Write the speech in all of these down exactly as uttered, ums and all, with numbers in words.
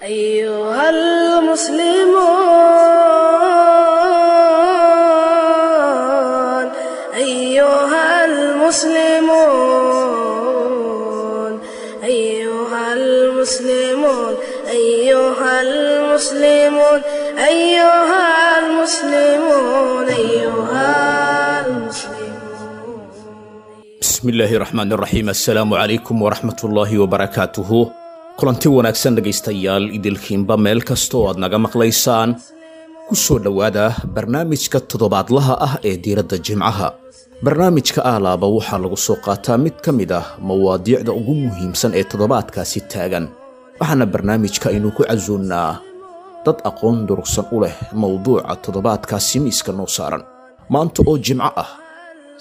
أيها المسلمون أيها المسلمون أيها المسلمون أيها المسلمون أيها المسلمون أيها المسلمون. Bismi illaahi raxmaan raxiim. Assalaamu calaykum waraxmatullaahi wabarakaatuhu. Kulanti wanaagsan dhegaystayaal, idilkiinba meel kasta oo aad naga maqlaysaan, ku soo dhowaada barnaamijka toddobaadlaha ah ee diiradda Jimcaha. Barnaamijka aalaaba waxaa lagu soo qaataa mid ka mid ah mawaadiicda ugu muhiimsan ee toddobaadkaasi taagan, waxaana barnaamijka aynu ku casuunnaa dad aqoon durugsan u leh mowduuca toddobaadkaasi miiska noo saaran. Maanta oo Jimco ah,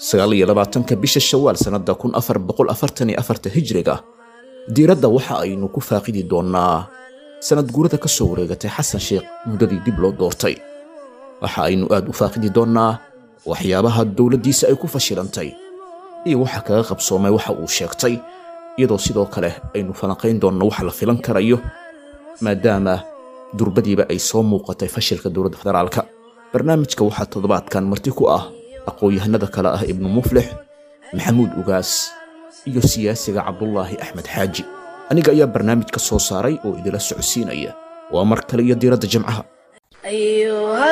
sagaal iyo labaatanka bisha Shawaal sannadda kun afar boqol afartan iyo afarta Hijriga, diiradda waxa aynu ku faaqidi doonnaa sanad guurada ka soo wareegatay Xasan Sheekh muddadii dib loo doortay. Waxa aynu aad u faaqidi doonnaa waxyaabaha dowladdiisa ay ku fashilantay iyo waxa kaga qabsoomay waxa uu sheegtay, iyadoo sidoo kale aynu falanqayn doonno waxa la filan karayo maadaama durbadiiba ay soo muuqatay fashilka dowladda federaalka. Barnaamijka waxaa toddobaadkan marti ku ah aqoon-yahanada kale ah Ibnu Muflix, Maxamuud Ugaas iyo siyaasiga Cabdulaahi Axmed Xaaji. Aniga ayaa barnaamijka soo saaray oo idila socodsiinaya. Waa mar kale iyo diiradda Jimcaha. أيها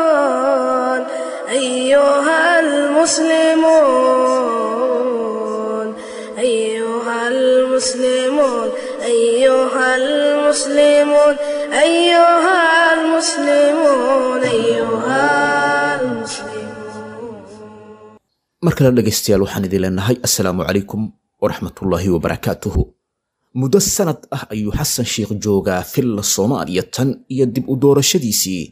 المسلمون أيها المسلمون أيها المسلمون أيها المسلمون أيها المسلمون أيها المسلمون. Mar kale dhegaystayaal, waxaan idin leenahay assalaamu calaykum waraxmatullaahi wabarakaatuhu. Muddo sanad ah ayuu Xasan Sheekh joogaa Filla Soomaaliya tan iyo dib u doorashadiisii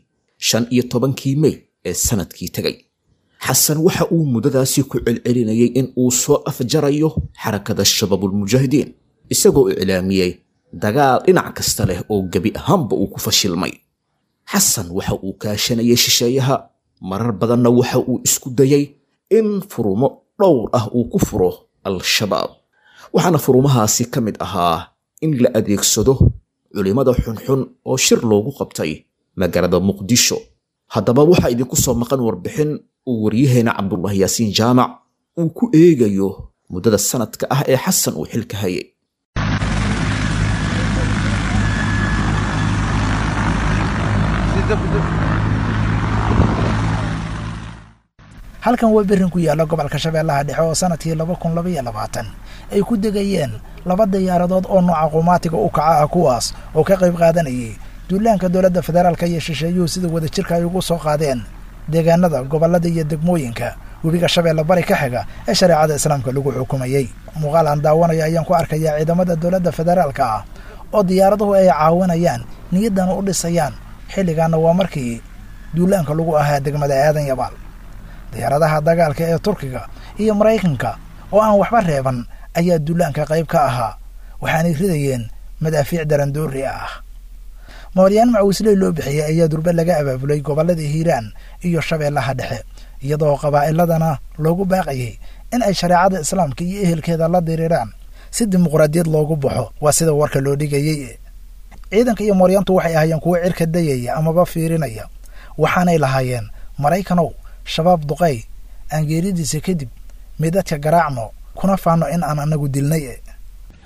shan iyo tobankii Mey ee sanadkii tegay. Xasan waxa uu muddadaasi ku celcelinayay in uu soo afjarayo xarakada Shabaabulmujaahidiin, isagoo iclaamiyey dagaal dhinac kasta leh oo gebi ahaanba uu ku fashilmay. Xasan waxa uu kaashanayay shisheeyaha, marar badanna waxa uu isku dayay in furumo dhowr ah uu ku furo Al-Shabaab, waxaana furumahaasi ka mid ahaa in la adeegsado culimmada xunxun oo shir loogu qabtay magaalada Muqdisho. Haddaba waxaa idinku soo maqan warbixin uu waryaheena Cabdulaahi Yaasiin Jaamac uu ku eegayo muddada sanadka ah ee Xasan uu xilka hayay. Halkan waa berrin ku yaalla gobolka Shabeellaha Dhexe oo sanadkii laba kun labaiyo labaatan ay ku degayeen laba diyaaradood oo nooca qumaatiga u kaca ah, kuwaas oo ka qayb qaadanayay duulaanka dowladda federaalka iyo shisheeyuhu sida wadajirka ay ugu soo qaadeen deegaanada gobollada iyo degmooyinka webiga Shabeelle bari ka xiga ee shareecada islaamka lagu xukumayey. Muuqaal aan daawanayo ayaan ku arkayaa ciidamada dowladda federaalka ah oo diyaaraduhu ay caawinayaan, niyaddana u dhisayaan. Xilligaana waa markii duulaanka lagu ahaa degmada Aadan Yabaal. Diyaaradaha dagaalka ee Turkiga iyo Maraykanka oo aan waxba reeban ayaa duulaanka qayb ka ahaa, waxaanay ridayeen madaafiic darandoori ah. Mooryaan macawisley loo bixiyey ayaa durbe laga abaabulay gobollada Hiiraan iyo Shabeellaha Dhexe, iyadoo qabaa'iladana loogu baaqayay in ay shareecada islaamka iyo ehelkeeda la diriiraan si dimuqraadiyad loogu baxo, waa sida warka loo dhigayey. Ciidanka iyo mooryaantu waxay ahaayeen kuwo cirka dayaya amaba fiirinaya, waxaanay lahaayeen: Maraykanow, Shabaab duqay, aan geeridiisa kadib midadka garaacno kuna faanno in aan anagu dilnay.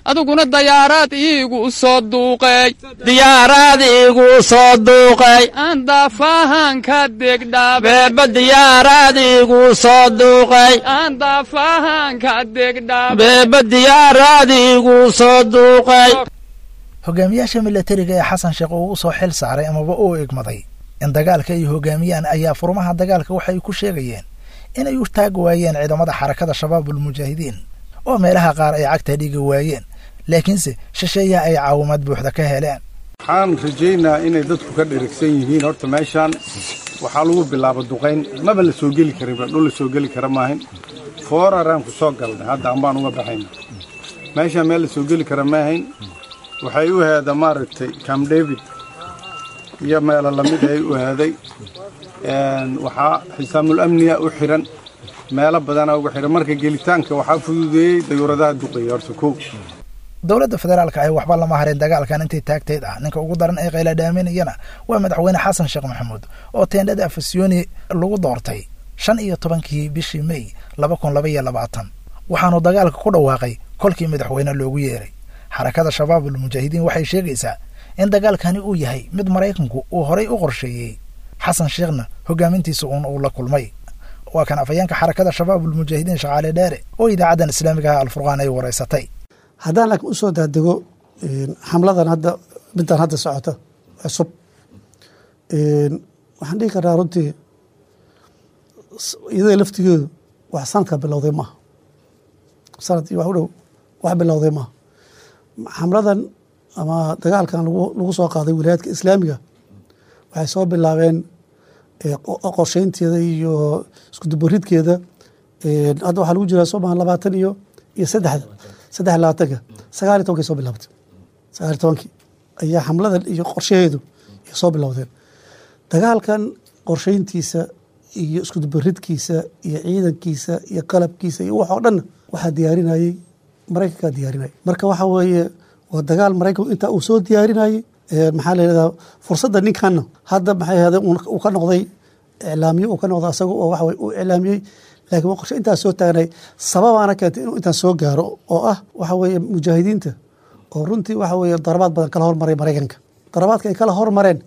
Adiguna dayaaraad iigu soo duuqay, diyaaraad iigu soo duuqay, aan daafahanka degdhaabe, beeba diyaaraad iigu soo duuqay, aan daafahanka degdhaabe, beeba diyaaraad iigu soo duuqay. Hogaamiyaasha milatariga ee Xasan Sheekh uu u soo xil saaray amaba uu igmaday in dagaalka ay hogaamiyaan ayaa furmaha dagaalka waxay ku sheegayeen inay u taagi waayeen ciidamada xarakada Shabaabulmujaahidiin oo meelaha qaar ay cagta dhigi waayeen, laakiinse shisheeyaha ay caawimaad buuxda ka heleen. Waxaan rajaynaa inay dadku ka dherigsan yihiin. Horta meeshaan waxaa lagu bilaaba duqayn, maba la soo geli karinba, dhul la soo geli kara maahin. Fooraraan ku soo galnay, hadda ambaan uga baxayna. Meeshaan meel la soo geli kara maahayn, waxay u heeda maaragtay Camp David iyo meelo lamid ay u heeday. Waxaa xisaamul amniya u xiran Meelo badanaa uga xiran. Marka gelitaanka waxaa fududeeyey dayuuradaha duqeeya horta kow. Dowladda federaalka ahi waxba lama harin dagaalkan intay taagteyd ah. Ninka ugu daran ee qayla dhaaminayana waa madaxweyne Xasan Sheekh Maxamuud oo teendhada Afasyooni lagu doortay shan iyo tobankii bishii May laba kun laba iyo labaatan, waxaanu dagaalka ku dhawaaqay kolkii madaxweyne loogu yeeray. Xarakada Shabaabul Mujaahidiin waxay sheegaysaa in dagaalkani uu yahay mid Maraykanku uu horay u qorsheeyey, Xasan Sheekhna hogaamintiisa uun uu la kulmay. Waa kan afhayeenka Xarakada Shabaabul Mujaahidiin Shaqaale Dheere oo idaacaddan islaamiga ah Alfurqaan ay waraysatay. Haddaan laakiin usoo daadego xamladan hadda, middan hadda socota cusub, waxaan dhihi karnaa runtii iyada laftigeedu wax sanadka bilowday maaha, sanad iyo wax u dhow wax bilowday maaha. Xamladan ama dagaalkan lagu lagu soo qaaday wilaayadka islaamiga waxay soo bilaabeen qorsheynteeda iyo isku dubaridkeeda. Hadda waxaa lagu jiraa soo maha labaatan iyo iyo saddexda saddex iyo labaatanka, sagaal iyo tobankii soo bilaabtay, sagaal iyo tobankii ayaa xamladan iyo qorshaheedu ay soo bilowdeen. Dagaalkan qorsheyntiisa iyo isku dubaridkiisa iyo ciidankiisa iyo qalabkiisa iyo wax oo dhanna waxaa diyaarinayey Maraykankaa diyaarinayay. Marka waxa weeye waa dagaal Maraykanku intaa uu soo diyaarinayey. Maxaa la yidhahdaa, fursadda ninkanna hadda maxay ahayd uu ka noqday iclaamiye, uu ka noqday asaga oo waxa weye uu iclaamiyey, laakiin waa qorshe intaas soo taagnay. Sababaana keentay inuu intaas soo gaaro oo ah waxa weeye mujaahidiinta oo runtii waxa weeye darabaad badan kala hormaray Maraykanka. Darabaadka ay kala hormareen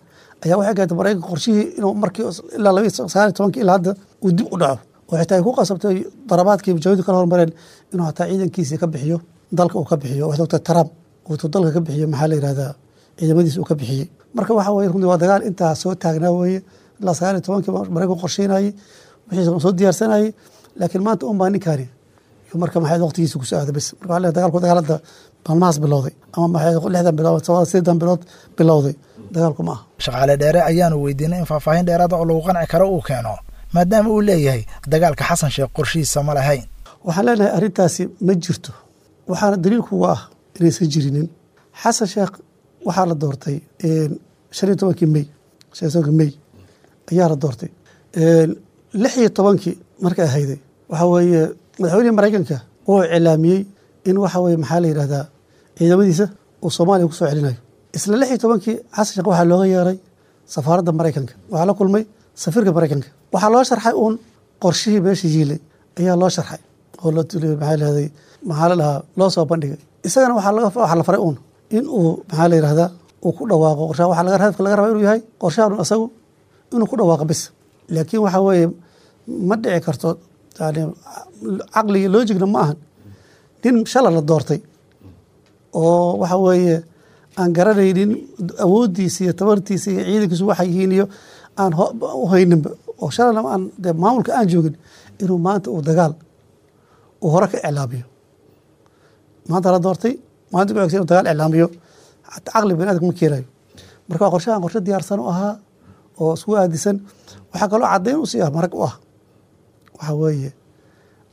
ayaa waxay keentay Maraykanka qorshihii inuu markii ilaa laba sagaal iyo tobankii ilaa hadda uu dib u dhaco, oo xitaa ay ku qasabtay darabaadkii mujaahidiintu kala hormareen inuu hataa ciidankiisii ka bixiyo dalka, uu ka bixiyo waxay ogtahay Trump uu dalka ka bixiyo, maxaa la yidhahdaa, ciidamadiisa uu ka bixiyey. Marka waxa weye runtii waa dagaal intaa soo taagnaa weeye, ilaa sagaal iyo tobankii Maraykanku qorsheynayey, wixiisa soo diyaarsanayey, laakiin maanta un baa ninkaani iyo marka maxay waqtigiisa ku soo aaday bas. Marka waxaa leeyahay dagaalku dagaal hadda maalmahaas bilowday ama maxay lixdan bilood, sideedan bilood bilowday dagaalku ma aha. Shaqaale Dheere ayaanu weydiinay in faahfaahin dheeraada oo lagu qanci karo uu keeno, maadaama uu leeyahay dagaalka Xasan Sheekh qorshihiisa ma lahayn. Waxaan leenahay arrintaasi ma jirto, waxaana daliilkuga ah inaysan jirinin. Xasan Sheekh waxaa la doortay shan iyo tobankii May, shan iyo tobankii May ayaa la doortay. Lix iyo tobankii markay ahayday waxa weeye madaxweynihii Maraykanka wuxuu iclaamiyey in waxa weye maxaa la yidhahdaa ciidamadiisa uu Soomaaliya ku soo celinayo. Isla lix iyo tobankii Xasan Sheekh waxaa looga yeeray safaaradda Maraykanka, waxaa la kulmay safiirka Maraykanka, waxaa loo sharxay uun qorshihii meesha yiilay ayaa loo sharxay oo loo tuliyey, maxaa la yidhahday, maxaa la dhahaa, loo soo bandhigay. Isagana waxaa laga waxaa la faray uun in uu maxaa la yidhahdaa uu ku dhawaaqo qorshaha. Waxaa laga hadafka laga rabaa inuu yahay qorshahan isagu inuu ku dhawaaqo bis. Laakiin waxa weeye ma dhici karto, yani caqliga loojigna ma ahan nin shala la doortay oo waxa weeye aan garanaynin awooddiisa iyo tabartiisa iyo ciidankiisu waxay yihiin iyo aan u hayninba oo shalana aan dee maamulka aan joogin inuu maanta uu dagaal uu hore ka iclaamiyo. Maanta la doortay, maalinta ku xigsa inuu dagaal iclaamiyo xataa caqli bani aadamka ma keenayo. Marka waa qorshahan qorshe diyaarsan u ahaa oo isku aadisan. Waxaa kaloo caddayn usii ah, marag u ah, waxa weeye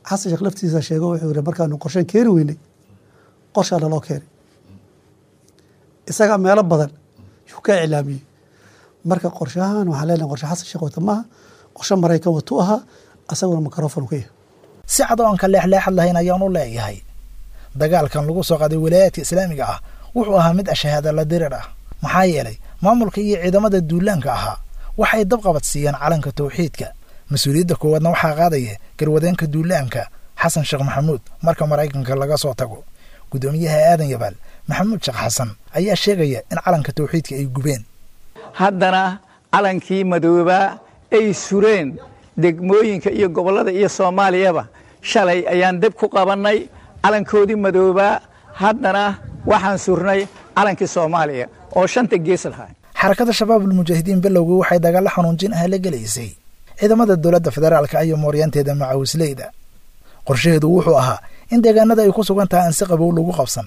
Xasan Sheekh laftiisa sheego, wuxuu yihi markaanu qorshen keeni weynay qorshaa naloo keenay. Isagaa meelo badan yuu ka iclaamiyey. Marka qorshahan waxaan leenahay qorshe Xasan Sheekh wata maaha, qorshe Maraykan watu ahaa, asaguna microphone ka yahay. Si cad oo aan ka leexleexad lahayn ayaan u leeyahay dagaalkan lagu soo qaaday walaayaadka islaamiga ah wuxuu ahaa mid ashahaada la dirir ah, maxaa yeelay maamulka iyo ciidamada duulaanka ahaa waxay dabqabad siiyeen calanka tawxiidka. Mas-uuliyadda koowaadna waxaa qaadaya garwadeenka duulaanka Xasan Sheekh Maxamuud marka Maraykanka laga soo tago. Guddoomiyaha Aadan Yabaal Maxamuud Sheekh Xasan ayaa sheegaya in calanka tawxiidka ay gubeen. Haddana calankii madoobaa ay sureen degmooyinka iyo gobollada iyo Soomaaliyaba shalay ayaan deb ku qabannay calankoodii madoobaa, haddana waxaan surnay calankii Soomaaliya oo shanta gees lahaa. Xarakada Shabaabul Mujaahidiin bilowgii waxay dagaalla xanuunjin ah la gelaysay ciidamada dowladda federaalka iyo mooryaanteeda macawisleyda. Qorshaheedu wuxuu ahaa in deegaanada ay ku sugan tahay aan si qabow lagu qabsan,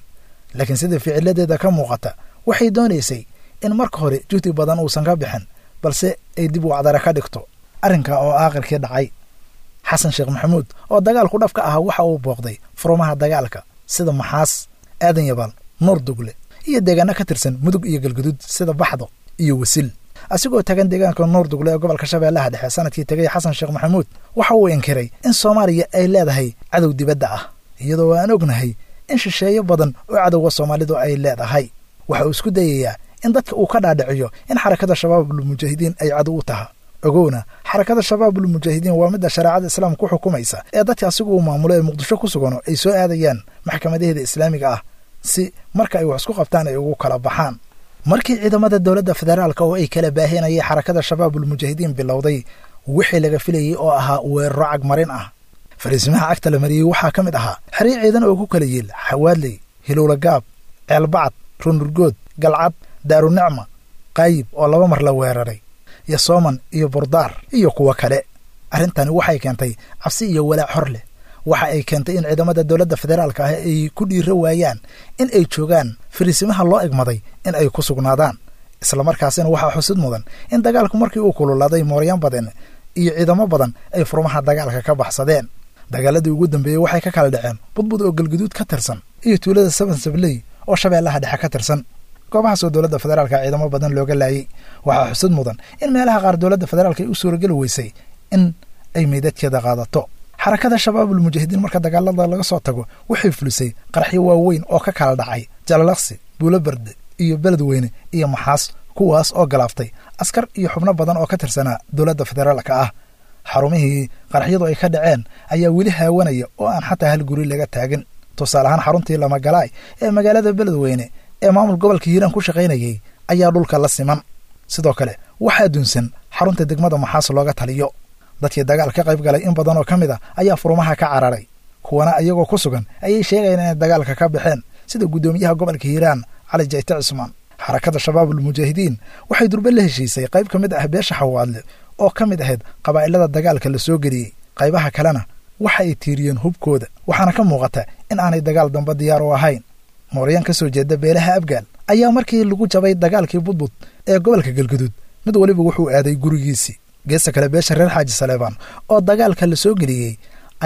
laakiin sida ficiladeeda ka muuqata waxay doonaysay in marka hore juhdi badan uusan ka bixin, balse ay dib u cadara ka dhigto arrinka oo aakhirkii dhacay. Xasan Sheekh Maxamuud oo dagaalku dhafka ahaa waxa uu booqday furumaha dagaalka sida Maxaas, Aadan Yabaal, Nuur Dugle iyo deegaano ka tirsan Mudug iyo Galguduud sida Baxdo iyo Wasil. Asigoo tagan deegaanka Nuurdugle ee gobolka Shabeellaha Dhexe sanadkii tegay, Xasan Sheekh Maxamuud waxa uu inkiray in Soomaaliya ay leedahay cadow dibadda ah, iyadoo aan ognahay in shisheeyo badan oo cadowga Soomaalidu ay leedahay. Waxa uu isku dayayaa in dadka uu ka dhaadhiciyo in Xarakada Shabaabulmujaahidiin ay cadow u taha. Ogowna, Xarakada Shabaabulmujaahidiin waa midda shareecada Islaamka ku xukumaysa ee dadka asigu uu maamulo ee Muqdisho ku sugano ay soo aadayaan maxkamadaheeda islaamiga ah si marka ay wax isku qabtaan ay ugu kala baxaan. Markii ciidamada dowladda federaalka oo ay kala baahinayay Xarakada Shabaabulmujaahidiin bilowday wixii laga filayey oo ahaa weeraro cagmarin ah, fariisimaha cagta la mariyey waxaa ka mid ahaa xeryo ciidan oo ku kala yiil Xawaadley, Hilowla Gaab, Ceelbacad, Rundurgood, Galcad, Daarunicma, Qaayib oo laba mar la weeraray, iyo Sooman iyo Burdaar iyo kuwo kale. Arrintani waxay keentay cabsi iyo walaac hor leh. Waxa ay keentay in ciidamada dowladda federaalka ah ay ku dhiiro waayaan in ay joogaan fariisimaha loo egmaday in ay ku sugnaadaan. Islamarkaasina waxaa xusid mudan in dagaalku markii uu kululaaday mooryaan badan iyo ciidamo badan ay furmaha dagaalka ka baxsadeen. Dagaaladii ugu dambeeyey waxay ka kala dhaceen Budbud oo Galguduud ka tirsan iyo tuulada Saban Sabley oo Shabeellaha Dhexe ka tirsan, goobahaas oo dowladda federaalka ciidamo badan looga laayay. Waxaa xusid mudan in meelaha qaar dowladda federaalka ay u suurageli weysay in ay meydadkeeda qaadato. Xarakada Shabaabulmujaahidiin marka dagaalada laga soo tago waxay fulisay qaraxyo waaweyn oo ka kala dhacay Jalalaqsi, Buuloberde iyo Beledweyne iyo Maxaas, kuwaas oo galaaftay askar iyo xubno badan oo ka tirsanaa dowladda federaalka ah. Xarumihii qaraxyadu ay ka dhaceen ayaa weli haawanaya oo aan xataa hal guri laga taagin. Tusaale ahaan, xaruntii Lamagalaay ee magaalada Beledweyne ee maamul gobolka Hiiraan ku shaqaynayay ayaa dhulka la siman. Sidoo kale waxaa dunsan xarunta degmada Maxaas looga taliyo. Dadkii dagaal ka qayb galay in badan oo ka mid a ayaa furumaha ka cararay, kuwana iyagoo ku sugan ayay sheegayaan inay dagaalka ka baxeen, sida guddoomiyaha gobolka Hiiraan Cali Jayte Cusmaan. Xarakada Shabaabulmujaahidiin waxay durbe la heshiisay qayb ka mid ah beesha Xawaadle oo ka mid ahayd qabaa'ilada dagaalka la soo geliyey. Qaybaha kalena waxa ay tiiriyeen hubkooda, waxaana ka muuqata in aanay dagaal dambe diyaar u ahayn. Mooryaan ka soo jeeda beelaha Abgaal ayaa markii lagu jabay dagaalkii Budbud ee gobolka Galguduud mid weliba wuxuu aaday gurigiisii. Geesta kale, beesha reer Xaaji Saleebaan oo dagaalka la soo geliyey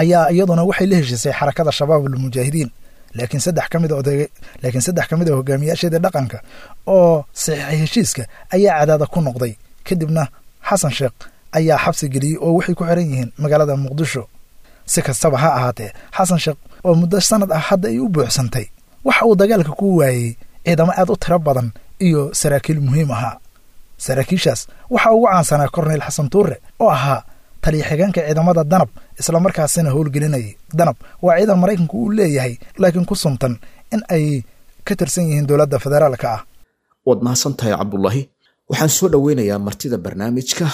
ayaa iyaduna waxay la heshiisay Xarakada Shabaabulmujaahidiin, laakiin saddex ka mid oday laakiin saddex ka mid a hogaamiyaasheedii dhaqanka oo saxiixay heshiiska ayaa cadaada ku noqday. Kadibna Xasan Sheekh ayaa xabsi geliyey oo waxay ku xiran yihiin magaalada Muqdisho. Si kastaba ha ahaatee, Xasan Sheekh oo muddo sanad ah hadda ay u buuxsantay waxa uu dagaalka ku waayey ciidamo aad u tiro badan iyo saraakiil muhiim ahaa. Saraakiishaas waxaa ugu caansanaa Korneyl Xasan Tuure oo ahaa taliya xigeenka ciidamada Danab, islamarkaasina howlgelinayay. Danab waa ciidan Maraykanku uu leeyahay, laakiin ku suntan in ay ka tirsan yihiin dowladda federaalka ah. Waad mahadsan tahay, Cabdulaahi. Waxaan soo dhoweynayaa martida barnaamijka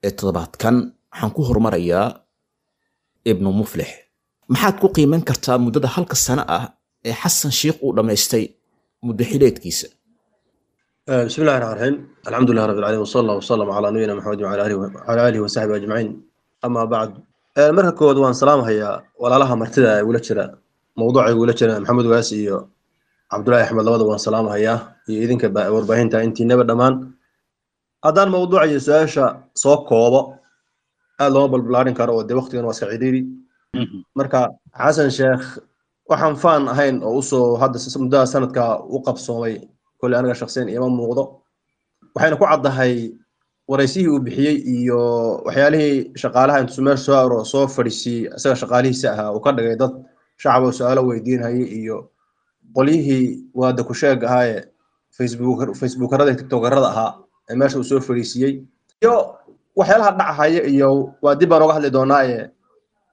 ee toddobaadkan. Waxaan ku horumarayaa Ibnu Muflix. Maxaad ku qiiman kartaa muddada halka sano ah ee Xasan Sheikh uu dhammaystay muddo xileedkiisa? بسم الله الرحمن الرحيم، الحمد لله رب العالمين، وصلى الله وسلم على نبينا محمد وعلى اله وعلى اله وصحبه اجمعين، اما بعد. Marka koowaad waan salaamahayaa walaalaha martida ee igula jira mawduuca, igula jira Maxamed Waasi iyo Cabdullaahi Axmed, labada waan salaamahayaa, iyo idinka warbaahinta intiinaba dhammaan. Haddaan mawduuca iyo su-aasha soo koobo, aad looma balbalaarin karo oo dee waqtigan waa iska cidhiiri. Marka Xasan Sheekh waxaan faan ahayn oo usoo hadda muddada sanadka u qabsoomay kolley aniga shakhsiyan iima muuqdo, waxayna ku caddahay waraysihii uu bixiyey iyo waxyaalihii shaqaalaha intuu meesha soo aro soo fadhiisiyey, isaga shaqaalihiisa ahaa uu ka dhigay dad shacab oo su-aalo weydiinayay, iyo qolyihii waada ku sheeg ahaaye Facebook Facebookarada iyo TikTokarada ahaa ee meesha uu soo fadhiisiyey, iyo waxyaalaha dhacahaya, iyo waa dib baan oga hadli doonaaye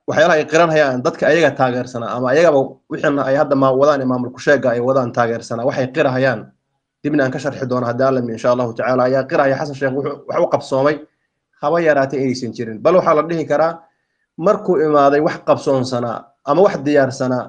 waxyaalaha ay qiranhayaan dadka ayaga taageersanaa ama ayagaba wixii ay hadda ma wadaan ee maamul ku-sheega ay wadaan taageersanaa, waxay qirahayaan dibna aan ka sharxi doono haddii Alla insha Allahu tacaala. Ayaa qirahaya Xasan Sheekh wuxuu wax u qabsoomay haba yaraatay inaysan jirin, bal waxaa la dhihi karaa markuu imaaday wax qabsoonsanaa ama wax diyaarsanaa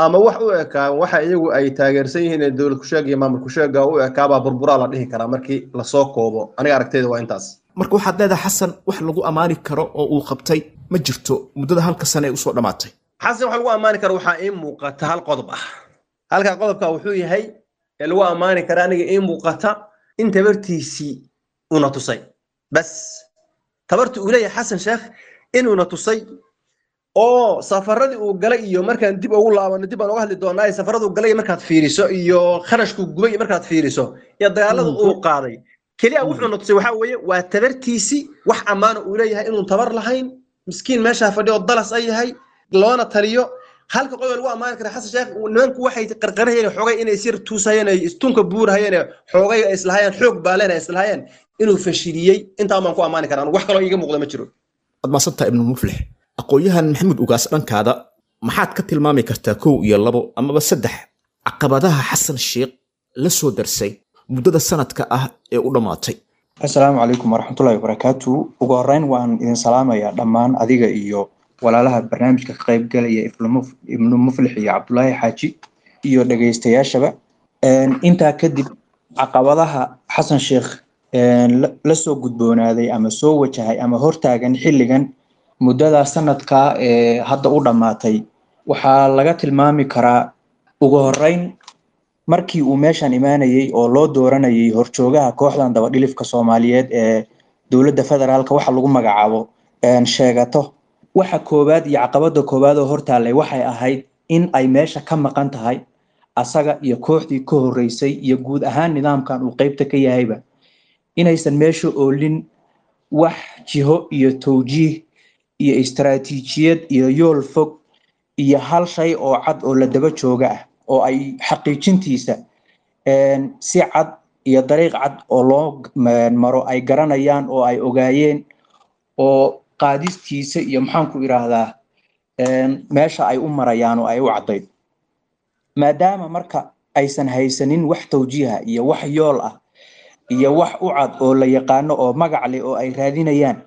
ama wax u ekaa waxa iyagu ay taageersan yihiin ee dowlad ku-sheega iyo maamul ku-sheega u ekaabaa burburaa la dhihi karaa markii lasoo koobo. Aniga aragtayda waa intaas. Marka waxaad leedahay Xasan wax lagu ammaani karo oo uu qabtay ma jirto muddada halka sane ee usoo dhammaatay? Xasan wax lagu ammaani karo waxaa ii muuqata hal qodob ah. Halka qodobka wuxuu yahay ee lagu ammaani kara aniga ii muuqata in tabartiisii una tusay, bas tabartii uu leeyahay Xasan Sheekh inuuna tusay, oo safaradii uu galay iyo markaan dib ugu laabano dib baan uga hadli doonaa, safarada uu galay markaad fiiriso iyo kharashkuu gubay markaad fiiriso iyo dagaalada uu qaaday Keliya wuxuu na tusay waxaa weeye waa tabartiisii, wax ammaana uu leeyahay inuun tabar lahayn, miskiin meeshaa fadhiyo oo dalas ay yahay loona taliyo. Halka qodob lagu ammaani kara Xasan Sheekh, nimanku waxay qarqarahayeen xoogay inay isyar tuusayeen, ay istunka buurahayeen, xoogay ay islahayeen xoog baaleen ay islahayeen inuu fashiliyey. Intaa baan ku ammaani karaa, wax kaloo iiga muuqda ma jiro. Waad maasantaha, Ibnu Muflix. Aqoon-yahan Maxamuud Ugaas, dhankaada maxaad ka tilmaami kartaa kow iyo labo amaba saddex caqabadaha Xasan Sheekh la soo darsay muddada sanadka ah ee u dhammaatay? Assalaamu calaykum waraxmatullahi wabarakaatu. Ugu horeyn waan idin salaamayaa dhammaan, adiga iyo walaalaha barnaamijka ka qaybgalaya, Ibnu Muflix iyo Cabdulaahi Xaaji iyo dhegaystayaashaba. Intaa kadib, caqabadaha Xasan Sheekh la soo gudboonaaday ama soo wajahay ama hortaagan xilligan muddada sanadka ee hadda u dhammaatay waxaa laga tilmaami karaa ugu horeyn markii uu meeshan imaanayay oo loo dooranayay horjoogaha kooxdan dabadhilifka Soomaaliyeed ee dowladda federaalka waxa lagu magacaabo sheegato. Waxa koowaad iyo caqabada koowaad oo hortaallay waxay ahayd in ay meesha ka maqan tahay asaga iyo kooxdii ka horreysay iyo guud ahaan nidaamkan uu qeybta ka yahayba inaysan meesha oolin wax jiho iyo towjiih iyo istaraatiijiyad iyo yool fog iyo hal shay oo cad oo la daba jooga ah oo ay xaqiijintiisa si cad iyo dariiq cad oo loo maro ay garanayaan oo ay ogaayeen oo qaadistiisa iyo maxaan ku idhaahdaa meesha ay u marayaan oo ay u caddayd. Maadaama marka aysan haysanin wax towjiiha iyo wax yool ah iyo wax u cad oo la yaqaano oo magac leh oo ay raadinayaan,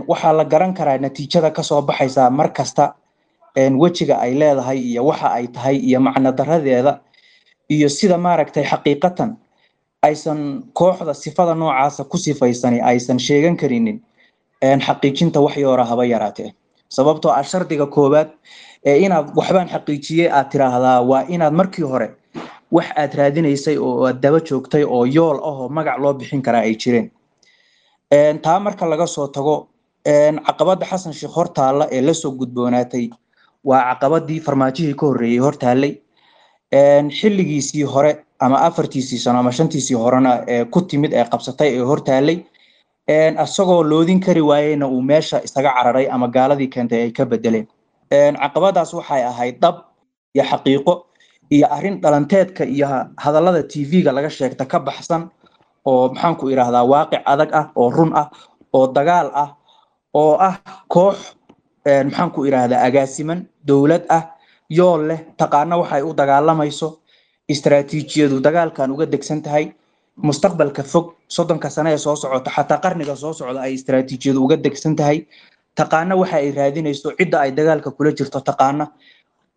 waxaa la garan karaa natiijada kasoo baxaysa mar kasta wejiga ay leedahay iyo waxa ay tahay iyo macno daradeeda iyo sida maaragtay xaqiiqatan aysan kooxda sifada noocaasa ku sifaysani aysan sheegan karinin xaqiijinta wax yoora haba yaraatee. Sababtoo ah shardiga koowaad ee inaad waxbaan xaqiijiyey aad tiraahdaa waa inaad markii hore wax aad raadinaysay oo aad daba joogtay oo yool ah oo magac loo bixin karaa ay jireen. Taa marka laga soo tago, caqabadda Xasan Sheekh hortaalla ee lasoo gudboonaatay waa caqabadii Farmaajihii ka horreeyey hortaallay xilligiisii hore ama afartiisii sano ama shantiisii horena ee ku timid ee qabsatay ee hortaallay, isagoo loodin kari waayeyna uu meesha isaga cararay ama gaaladii keentay ay ka bedeleen. Caqabadaas waxay ahayd dhab iyo xaqiiqo iyo arrin dhalanteedka iyo hadallada T V-ga laga sheegta ka baxsan oo maxaan ku idhaahdaa waaqic adag ah oo run ah oo dagaal ah oo ah koox maxaan ku idhaahdaa agaasiman dowlad ah, yool leh, taqaana waxay u dagaalamayso, istaraatiijiyadu dagaalkan uga degsan tahay, mustaqbalka fog soddonka sane ee soo socota, xataa qarniga soo socda ay istaraatiijiyadu uga degsan tahay, taqaana waxa ay raadinayso, cidda ay dagaalka kula jirto taqaana,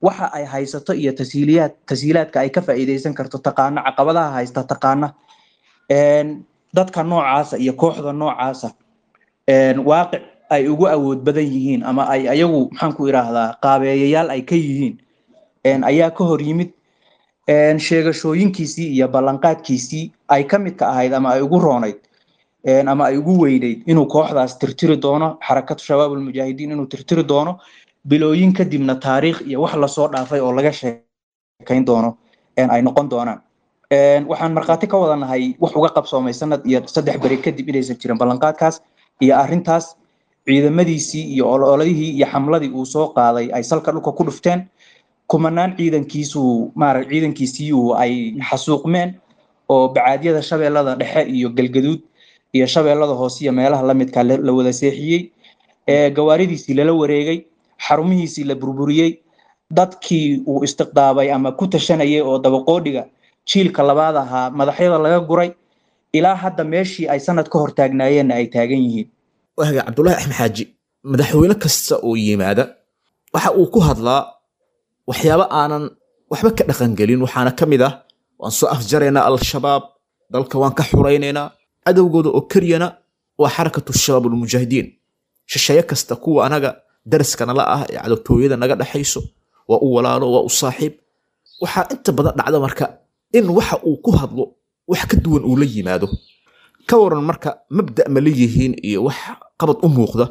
waxa ay haysato iyo tasiiliyaad tasiilaadka ay ka faa'iidaysan karto taqaana, caqabadaha haysta taqaana. Dadka noocaasa iyo kooxda noocaasa waaqic ay ugu awood badan yihiin ama ay ayagu maxaan ku idhaahdaa qaabeeyayaal ay ka yihiin ayaa ka hor yimid sheegashooyinkiisii iyo ballanqaadkiisii ay ka midka ahayd ama ay ugu roonayd ama ay ugu weynayd inuu kooxdaas tirtiri doono, Xarakatu Shabaab Almujaahidiin inuu tirtiri doono, bilooyin kadibna taariikh iyo wax lasoo dhaafay oo laga sheekayn doono ay noqon doonaan. Waxaan markhaati ka wada nahay wax uga qabsoomay sanad iyo saddex beri kadib inaysan jirin ballanqaadkaas iyo arrintaas. Ciidamadiisii iyo ololihii iyo xamladii uu soo qaaday ay salka dhulka ku dhufteen, kumanaan ciidankiisu maara ciidankiisii uu ay xasuuqmeen oo bacaadyada Shabeellada Dhexe iyo Galgaduud iyo Shabeellada Hoose iyo meelaha la midka la wada seexiyey, gawaaridiisii lala wareegay, xarumihiisii la burburiyey, dadkii uu istiqdaabay ama ku tashanayay oo dabaqoodhiga jiilka labaad ahaa madaxyada laga guray, ilaa hadda meeshii ay sanad ka hor taagnaayeenna ay taagan yihiin. Waaga Cabdulaahi Axmed Xaaji, madaxweyne kasta oo yimaada waxa uu ku hadlaa waxyaabo aanan waxba ka dhaqangelin. Waxaana ka mid ah waan soo afjaraynaa Al-Shabaab, dalka waan ka xuraynaynaa, cadowgooda oo keliyana waa Xarakatu Shabaab Almujaahidiin, shisheeye kasta, kuwa anaga daraska nala ah ee cadowtooyada naga dhexayso waa u walaalo, waa u saaxiib. Waxaa inta badan dhacda marka in waxa uu ku hadlo wax ka duwan uu la yimaado. Ka waran marka, mabda ma leeyihiin iyo wax qabad u muuqda,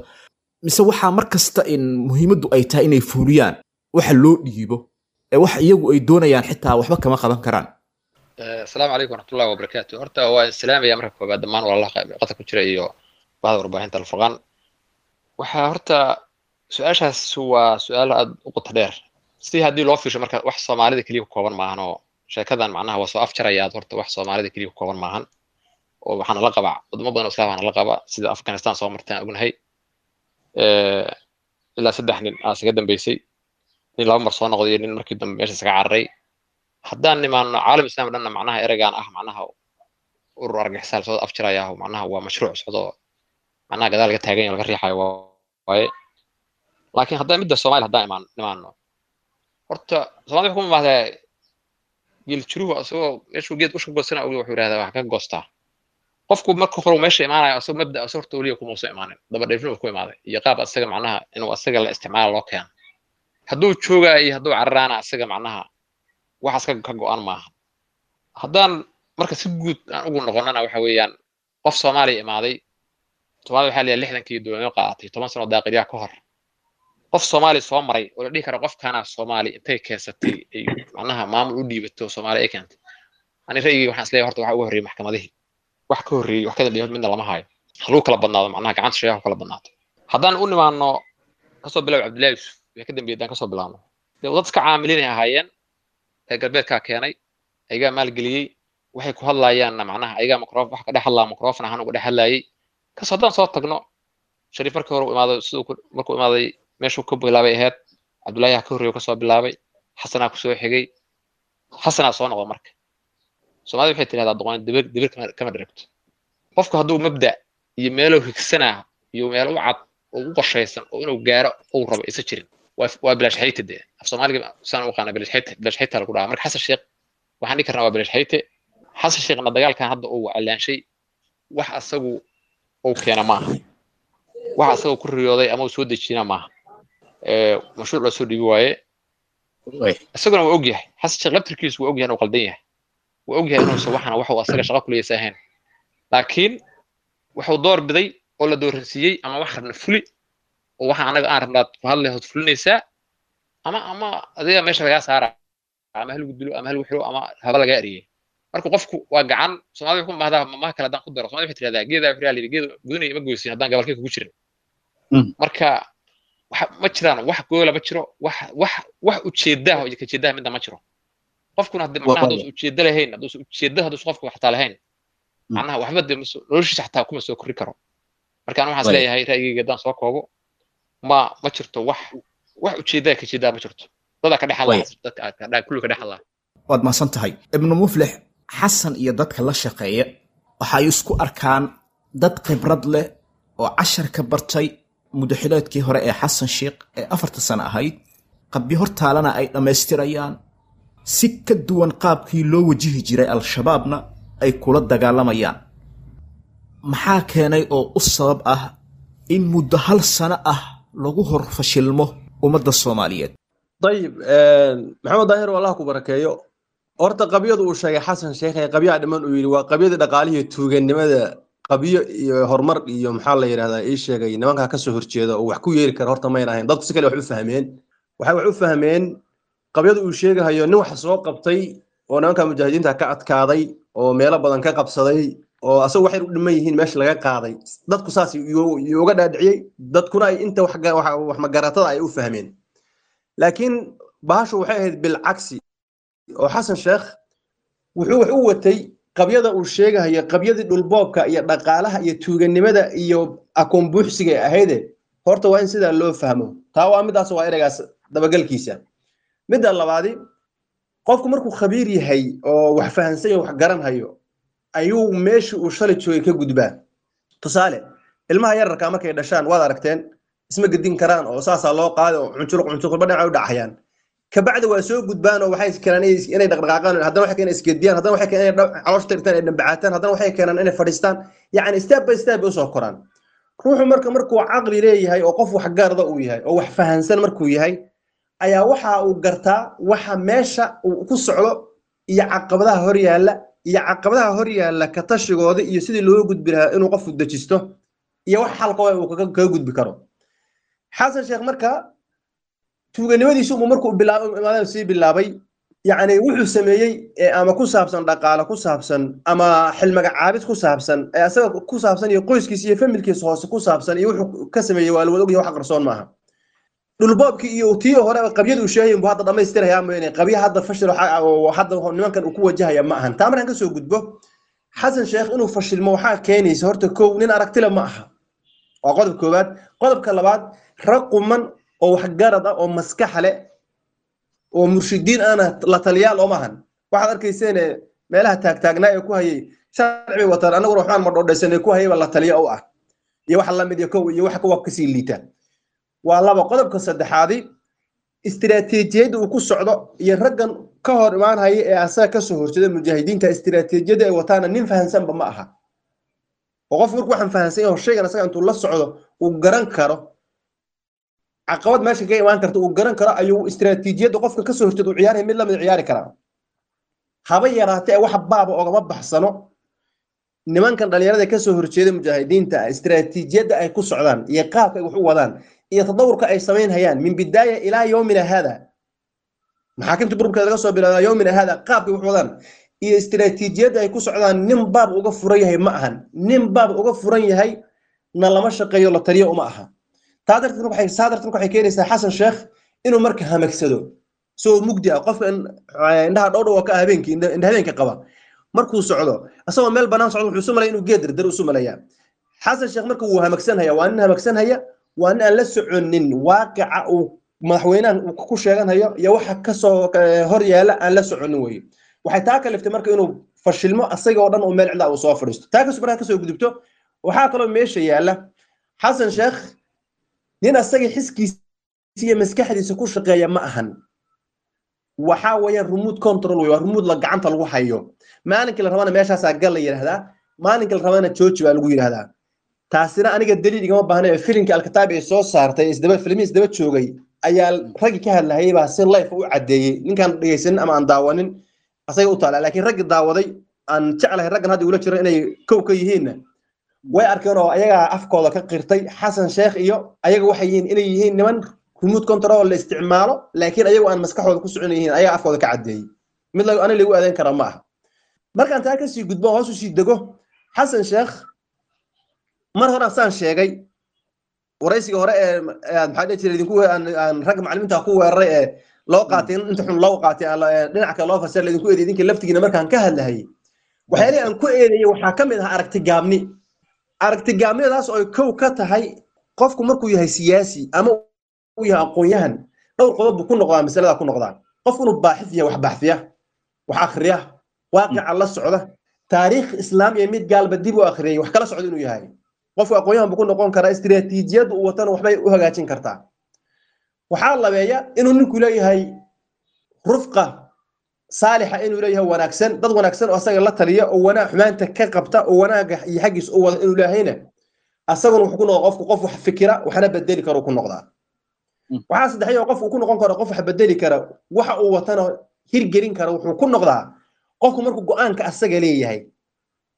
mise waxaa mar kasta in muhiimaddu ay tahay inay fuuliyaan waxa loo dhiibo ee wax iyagu ay doonayaan xitaa waxba kama qaban karaan? Asalaamu calaykum waraxmatullahi wabarakaatu. Horta waa islaamaya marka koobaad dhammaan walaalaha qadka ku jira iyo bahda warbaahinta Alfurqaan. Waxaa horta su-aashaas waa su-aal aad u qoto dheer si haddii loo fiirsho. Marka wax Soomaalida keliya ku kooban maahan oo sheekadan macnaha waa soo afjarayaa. Horta wax Soomaalida keliya ku kooban maahan oo waxaana la qabaa wadamo badan oo islaam la qaba, sida Afghanistan soo martaan ognahay, ilaa saddex nin aa isaga dambeysay, nin laba mar soo noqday iyo nin markii dambe meesha isaga cararay. Haddaan nimaano caalam islaam dhanna, macnaha ereygaan ah macnaha urur argagixisaa lasoo afjarayaa, macnaha waa mashruuc socdo, macnaha gadaal laga taagan yahay, laga riixayo waaye. Laakiin haddaan midda Soomaaliya haddaan imaan nimaano, horta Soomaalida waxay ku imaahdaa geeljiruhu asagoo meeshuu geed usha goosana og, wuxuu yidhahdaa wax ka goostaa. Qofku marka hore meesha imaanayo asagoo mabda asagoo horta weliga kuma uusan imaanin, daba dheefin ku imaaday iyo qaab asaga macnaha inuu asaga la isticmaalo loo keeno. Hadduu joogaa iyo hadduu cararaana asaga macnaha waxaas ka ka go-an maaha. Haddaan marka si guud aan ugu noqonana, waxa weeyaan qof Soomaaliya imaaday, Soomaalida waxaa leeyahay lixdankii dowladnimo qaadatay, toban sano daaqilyaha ka hor, qof Soomaali soo maray oo la dhihi karo qofkaana Soomaali intay keensatay ay macnaha maamul u dhiibato Soomaali ay keentay, ani ra'yigii waxaan isleeyahay horta waxa ugu horreeyay maxkamadihii. Wax ka horreeyey, wax ka dambeeyay midna lama hayo. Ha lagu kala badnaado, macnaha gacanta shayaha ku kala badnaato. Haddaan u nimaano kasoo bilow Cabdullahi Yusuf wixii ka dambeeyay, haddaan kasoo bilaabno, dee dad iska caamiliinay ahaayeen, reer galbeedkaa keenay, ayagaa maalgeliyey. Waxay ku hadlayaanna macnaha ayagaa microphone wax ka dhex hadlaa, microphone ahaan uga dhex hadlaayay. Kas haddaan soo tagno Shariif markii hore u imaaday, siduu markuu imaaday meeshuu ka bilaabay ahayd, Cabdullaahi ha ka horreeyo kasoo bilaabay, Xasanaa kusoo xigay, Xasanaa soo noqda. Marka Soomaalida waxay tidhahdaa doqon dibir dibir kama kama dheragto. Qofku hadduu mabda iyo meeluu higsanaa iyo meel u cad oo u qorshaysan oo inuu gaaro uu rabo isa jirin, waa waa bilaash xayte. Dee af Soomaaliga saan u aqaana bilaash xayte, bilaash xayte lagu dhahaa. Marka Xasan Sheekh waxaan dhihi karnaa waa bilaash xayte. Xasan Sheekhna dagaalkan hadda uu calaanshay wax asagu uu keena maaha, wax asagu ku riyooday ama uu soo dejina maaha, mashruuc loo soo dhiibi waaye. Isaguna waa ogyahay, Xasan Sheekh laftirkiisu waa ogyahay inuu qaldan yahay, waa ogyahay inuusan waxana waxuu asaga shaqo kuleysa ahayn, laakiin wuxuu door biday oo la dooransiiyey ama wax rabna fuli oo waxa anaga aan rabnaad ku hadlay hood fulinaysaa, ama ama adiga meesha lagaa saara, ama halagu dilo ama halagu xiro ama haba lagaa eriyey. Marka qofku waa gacan. Soomaalida waxay ku mahdaa mamaha kale haddaan ku daro, Soomaalida waxay tidhahdaa geedaa wuxuu yidhi geed gudunaya ima goysin haddaan gabalkay kugu jirin. Marka waxa ma jiraan wax goola, ma jiro wax wax wax ujeedaha iyo kajeedaha midna ma jiro. Qofkuna hadii macnaha hadduusan ujeedo lahayn, hadduusan ujeedo, hadduusan qofku xataa lahayn, macnaha waxba dee noloshiisa xataa kuma soo korri karo. Marka anu waxaan is leeyahay ra'yigayga haddaan soo koobo, ma ma jirto wax wax ujeedaa kajeedaa ma jirto, dadaa ka dhex hadlaa, dadka kulli ka dhex hadlaa. Waad mahadsan tahay, Ibnu Muflix. Xasan iyo dadka la shaqeeya waxa ay isku arkaan dad khibrad leh oo cashar ka bartay mudaxileedkii hore ee Xasan Sheekh ee afarta sano ahayd, qabyo hortaalana ay dhammaystirayaan, si ka duwan qaabkii loo wajihi jiray Al-Shabaabna ay kula dagaalamayaan. Maxaa keenay oo u sabab ah in muddo hal sano ah lagu hor fashilmo ummadda Soomaaliyeed? Ayib, Maxamed Daahir, Allah ku barakeeyo. Horta qabyadu uu sheegay Xasan Sheekh ee qabyaha dhiman uu yidhi waa qabyada dhaqaalihii tuuganimada, qabyo iyo horumar iyo maxaa la yidhahdaa ii sheegay nimankaa kasoo horjeeda oo wax ku yeeri kara horta mayn ahayn. Dadku si kale wax u fahmeen, waxay wax u fahmeen qabyada uu sheegahayo nin wax soo qabtay oo nimanka mujaahidiinta ka adkaaday oo meelo badan ka qabsaday oo asagu waxay u dhiman yihiin meesha laga qaaday. Dadku saas uga dhaadhiciyey, dadkuna ay inta wax magaratada ay u fahmeen. Laakiin bahashu waxay ahayd bilcagsi, oo Xasan Sheekh wuxuu wax u watay qabyada uu sheegahayo qabyadii dhulboobka iyo dhaqaalaha iyo tuuganimada iyo akoon buuxsiga ay ahayde. Horta waa in sidaa loo fahmo. Taa waa midaas, waa ereygaas dabagalkiisa. Midda labaadi, qofku markuu khabiir yahay oo wax fahansan yahay, wax garanhayo, ayuu meeshii uu shalay joogay ka gudbaa. Tusaale, ilmaha yararkaa markay dhashaan waad aragteen, isma gedin karaan oo saasaa loo qaaday oo cuncuruq cuncuruqba dhinaca u dhacayaan. Kabacdi waa soo gudbaan oo waxay keenaan inay dhaqdhaqaaqaan, haddana waxay keenaan isgediyaan, haddana waxay keenaan inay caloosha tirtaan, ay dhambacaataan, haddana waxay keenaan inay fadhiistaan. Yacni step by step bay usoo koraan. Ruuxu marka markuu caqli leeyahay oo qof wax garda uu yahay oo wax fahansan markuu yahay ayaa waxa uu gartaa waxa meesha uu ku socdo iyo caqabadaha hor yaalla, iyo caqabadaha hor yaalla ka tashigooda iyo sidii loo gudbi lahaa inuu qofku dejisto iyo wax xalka uu kaga gudbi karo. Xasan Sheekh marka tuuganimadiisu uu markuu bilaabay imaadada sii bilaabay, Yacni wuxuu sameeyey ee ama ku saabsan dhaqaale ku saabsan ama xilmagacaabid ku saabsan ee asaga ku saabsan iyo qoyskiisa iyo familkiisa hoose ku saabsan iyo wuxuu ka sameeyey waa la wada ogyahay, wax qarsoon maaha. Dhulboobkii iyo tii hore qabyada uu sheegay buu hadda dhamaystirayaa mooyaane, qabya hadda fashil waxa- oo hadda nimankan uu ku wajahaya ma ahan. Taa markaan kasoo gudbo, Xasan Sheekh inuu fashilmo waxaa keenaysa horta kow, nin aragtile ma aha, waa qodob koowaad. Qodobka labaad, rag quman oo waxgarad ah oo maskax leh oo murshidiin ahna la taliyaal ooma ahan. Waxaad arkayseen meelaha taagtaagnaa ee ku hayay sharci bay wataan, annaguna waxbaan madhoodhaysanay ku hayayba la taliya u ah iyo wax lamid iyo kow iyo wax kuwa kasii liita waa laba. Qodobka saddexaadi, istiraatiijiyadda uu ku socdo iyo raggan ka hor imaanhaya ee asaga kasoo horjeeda mujaahidiinta, istiraatiijiyadda ay wataana nin fahansanba ma aha. Oo qofku markuu waxaan fahansan yahay oo shaygan asaga intuu la socdo uu garan karo caqabad meesha kaga imaan karta uu garan karo, ayuu istiraatiijiyadda qofka kasoo horjeeda uu ciyaaraya mid lamid ciyaari karaa. Haba yaraatee wax baaba ogama baxsano nimankan dhalinyarada kasoo horjeeda mujaahidiinta istiraatiijiyadda ay ku socdaan iyo qaabka ay wax u wadaan iyo tadawurka ay samaynhayaan min bidaaya ilaa yowmina hada, maxaakimta burburkeeda laga soo bilaabo ilaa yowmina hada, qaabka ay wax u wadaan iyo istiraatiijiyadda ay ku socdaan nin baab uga furan yahay ma ahan. Nin baab uga furan yahay na lama shaqeeyo, la taliyo uma aha. Taa darteed waxay saa darteed waxay keenaysaa Xasan Sheekh inuu marka hamagsado soo mugdi ah. Qofka indhaha dhowdhow ka ah habeenkii, indha habeenka qaba, markuu socdo asagoo meel banaan socdo wuxuu isu malaya inuu geed dardar isu malayaa. Xasan Sheekh marka wuu hamagsanhaya, waa nin hamagsanhaya, waa nin aan la soconin waaqica uu madaxweynahan uu ku sheeganhayo iyo waxa kasoo hor yaala aan la soconin weye. Waxay taa kaliftay marka inuu fashilmo asaga oo dhan oo meel cidla uu soo fadhiisto. Taa kasoo markaa kasoo gudubto, waxaa kaloo meesha yaala Xasan Sheekh nin asaga xiskiisa iyo maskaxdiisa ku shaqeeya ma ahan. Waxaa weeyaan remote control wey, waa remote la gacanta lagu hayo. Maalinkii la rabana meeshaasaa gal la yidhaahdaa, maalinkii la rabana jooji baa lagu yidhaahdaa. Taasina aniga daliil igama baahna ee filimkii Alkataab ay soo saartay isdaba filmihii isdaba joogay ayaa raggii ka hadlahayay baa si life u caddeeyey. Ninkaan dhegaysanin ama aan daawanin asaga u taala, laakiin raggii daawaday aan jeclahay raggan hadda ula jiro inay kow ka yihiinna way arkeen oo ayagaa afkooda ka qirtay Xasan Sheekh iyo ayaga waxay yihiin inay yihiin niman remote control la isticmaalo, laakiin ayagu aan maskaxooda ku socon yihiin, ayagaa afkooda ka caddeeyey. Mid la aniga lagu adeyn karaa ma aha. Markaan taa kasii gudbo hoos usii dego, Xasan Sheekh mar hore saan sheegay waraysiga hore ee maxaa dhihi jiray idinku aan ragga macallimiinta ku weeraray ee loo qaatay inta xun loo qaatay dhinac kale loo fasiray idinku eeday idinka laftigiina markaan ka hadlahayay waxyaalihii aan ku eedeeyey waxaa ka mid ahaa aragti gaabni. Aragti gaabnidadaas oo ay kow ka tahay qofku markuu yahay siyaasi ama uu yahay aqoon-yahan dhowr qodob buu ku noqdaa masalada ku noqdaa. Qofku inuu baaxif yahay, wax baaxfiya, wax akhriya, waaqica la socda, taariikh islaam iyo mid gaalba dib u akhriyay, wax kala socda inuu yahay qofku aqoon-yahan buu ku noqon karaa. Istiraatiijiyadda uu watana waxbay u hagaajin kartaa. Waxaa labeeya inuu ninku leeyahay rufqa saalixa, inuu leeyahay wanaagsan, dad wanaagsan oo asaga la taliya oo wanaag xumaanta ka qabta oo wanaaga iyo xaggiisa u wada inuu leeyahayna asaguna wuxuu ku noqdaa qofku qof wax fikira waxna bedeli karo ku noqdaa. Waxaa saddexay oo qofku ku noqon karo qof wax bedeli kara waxa uu watana hirgelin kara wuxuu ku noqdaa qofku markuu go'aanka asaga leeyahay,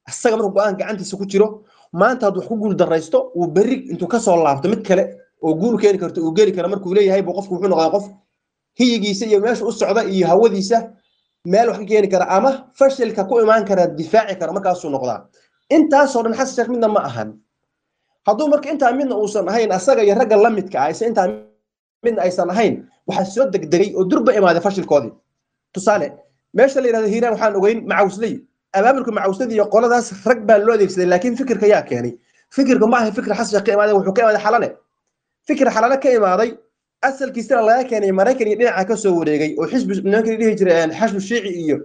asaga markuu go'aan gacantiisa ku jiro. Maanta hadduu wax ku guul daraysto uu berri intuu kasoo laabto mid kale oo guul keeni karto uu geli karo markuu leeyahay buu qofku wuxuu noqdaa qof hiyigiisa iyo meesha u socda iyo hawadiisa meel wax ka keeni kara ama fashilka ku imaan kara difaaci kara markaasuu noqdaa. Intaasoo dhan Xasan Sheekh midna ma ahan. Hadduu marka intaa midna uusan ahayn asaga iyo ragga la midka ah intaa midna aysan ahayn, waxaa soo degdegay oo durba imaaday fashilkoodii. Tusaale, meesha la yidhahdo Hiiraan waxaan ogeyn macawsley abaabulka macawslada iyo qoladaas rag baa loo adeegsaday, laakiin fikirka yaa keenay? Fikirka ma aha fikir Xasan Sheekh ka imaaday, wuxuu ka imaaday Xalane. Fikir Xalane ka imaaday asalkiisana laga keenay Maraykan iyo dhinaca ka soo wareegay oo xisbi nimankii dhihi jiray xashbu shiici iyo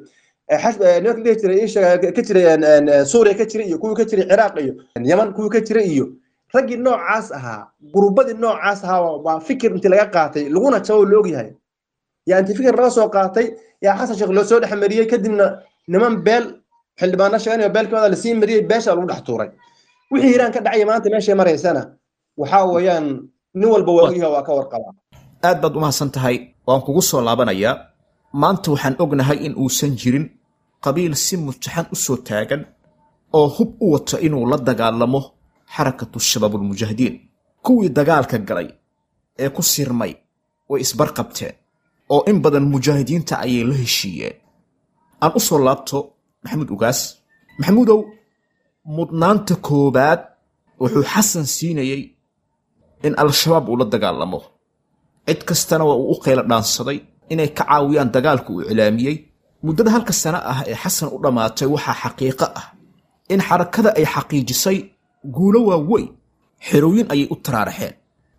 nimankii dhihi jiray ka jiray Suuriya ka jiray iyo kuwii ka jiray Ciraaq iyo Yaman kuwii ka jiray iyo raggii noocaas ahaa, gurubadii noocaas ahaa waa fikir intii laga qaatay laguna jabo la ogyahay. Yaa intii fikir laga soo qaatay yaa Xasan Sheekh loo soo dhex mariyey, kadibna niman beel xildhibaano sheeganaya beel kamida lasii mariyey, beesha lagu dhex tuuray. Wixii Hiiraan ka dhacaya maanta meeshay maraysana waxaa weeyaan nin walba waa ogyahay, waa ka warqabaa. Aad baad umahadsan tahay, waan kugu soo laabanayaa. Maanta waxaan ognahay in uusan jirin qabiil si mutaxan u soo taagan oo hub u wata inuu la dagaalamo xarakatu shabaabulmujaahidiin. Kuwii dagaalka galay ee ku sirmay way isbarqabteen, oo in badan mujaahidiinta ayay la heshiiyeen. Aan u soo laabto Maxamuud Ugaas. Maxamuudow, mudnaanta koowaad wuxuu Xasan siinayey in Al-Shabaab uu la dagaalamo, cid kastana waa uu u qaylo dhaansaday inay ka caawiyaan dagaalka uu iclaamiyey. Muddada halka sano ah ee Xasan u dhammaatay waxaa xaqiiqo ah in xarakada ay xaqiijisay guulo waaweyn. Xerooyin ayay u taraaraxeen,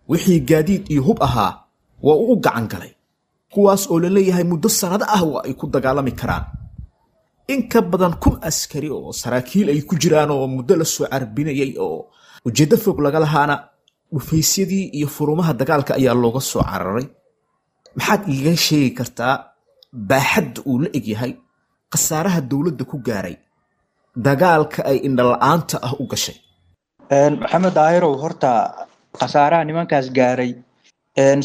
wixii gaadiid iyo hub ahaa waa uu u gacan galay, kuwaas oo la leeyahay muddo sannado ah waa ay ku dagaalami karaan. In ka badan kun askari oo saraakiil ay ku jiraan oo muddo la soo carbinayay oo ujeeddo fog laga lahaana dhufaysyadii iyo furumaha dagaalka ayaa looga soo cararay. Maxaad iiga sheegi kartaa baaxadda uu la egyahay khasaaraha dowladda ku gaaray dagaalka ay indhala-aanta ah u gashay? Maxamed Daahirow, horta khasaaraha nimankaas gaaray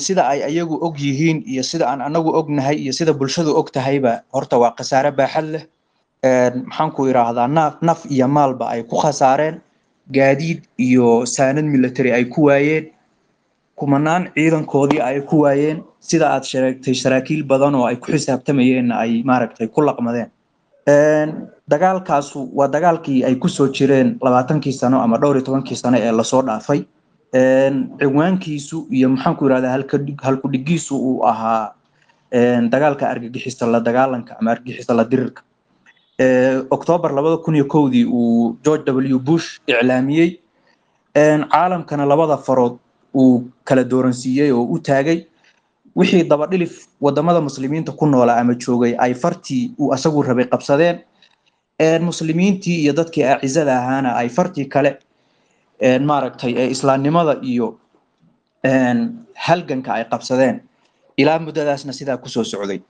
sida ay ayagu og yihiin iyo sida aan anagu ognahay iyo sida bulshadu og tahayba, horta waa khasaare baaxad leh. Maxaan ku idhaahdaa, naf naf iyo maalba ay ku khasaareen, gaadiid iyo saanad military ay ku waayeen, kumanaan ciidankoodii ay ku waayeen, sida aad sheegtay saraakiil badan oo ay ku xisaabtamayeenna ay maaragtay ku laqmadeen. Dagaalkaasu waa dagaalkii ay kusoo jireen labaatankii sano ama dhowr iyo tobankii sano ee lasoo dhaafay. Ciwaankiisu iyo maxaan ku yidhahdaa halkudhigiisu uu ahaa dagaalka argagixisa la dagaalanka ama argagixisa la dirirka. Octoobar labada kun iyo kowdii uu George W Bush iclaamiyey, caalamkana labada farood uu kala dooransiiyey oo u taagay. Wixii dabadhilif wadamada muslimiinta ku noolaa ama joogay ay fartii uu asagu rabay qabsadeen, muslimiintii iyo dadkii acizada ahaana ay fartii kale maaragtay ee islaamnimada iyo halganka ay qabsadeen. Ilaa muddadaasna sidaa kusoo socday.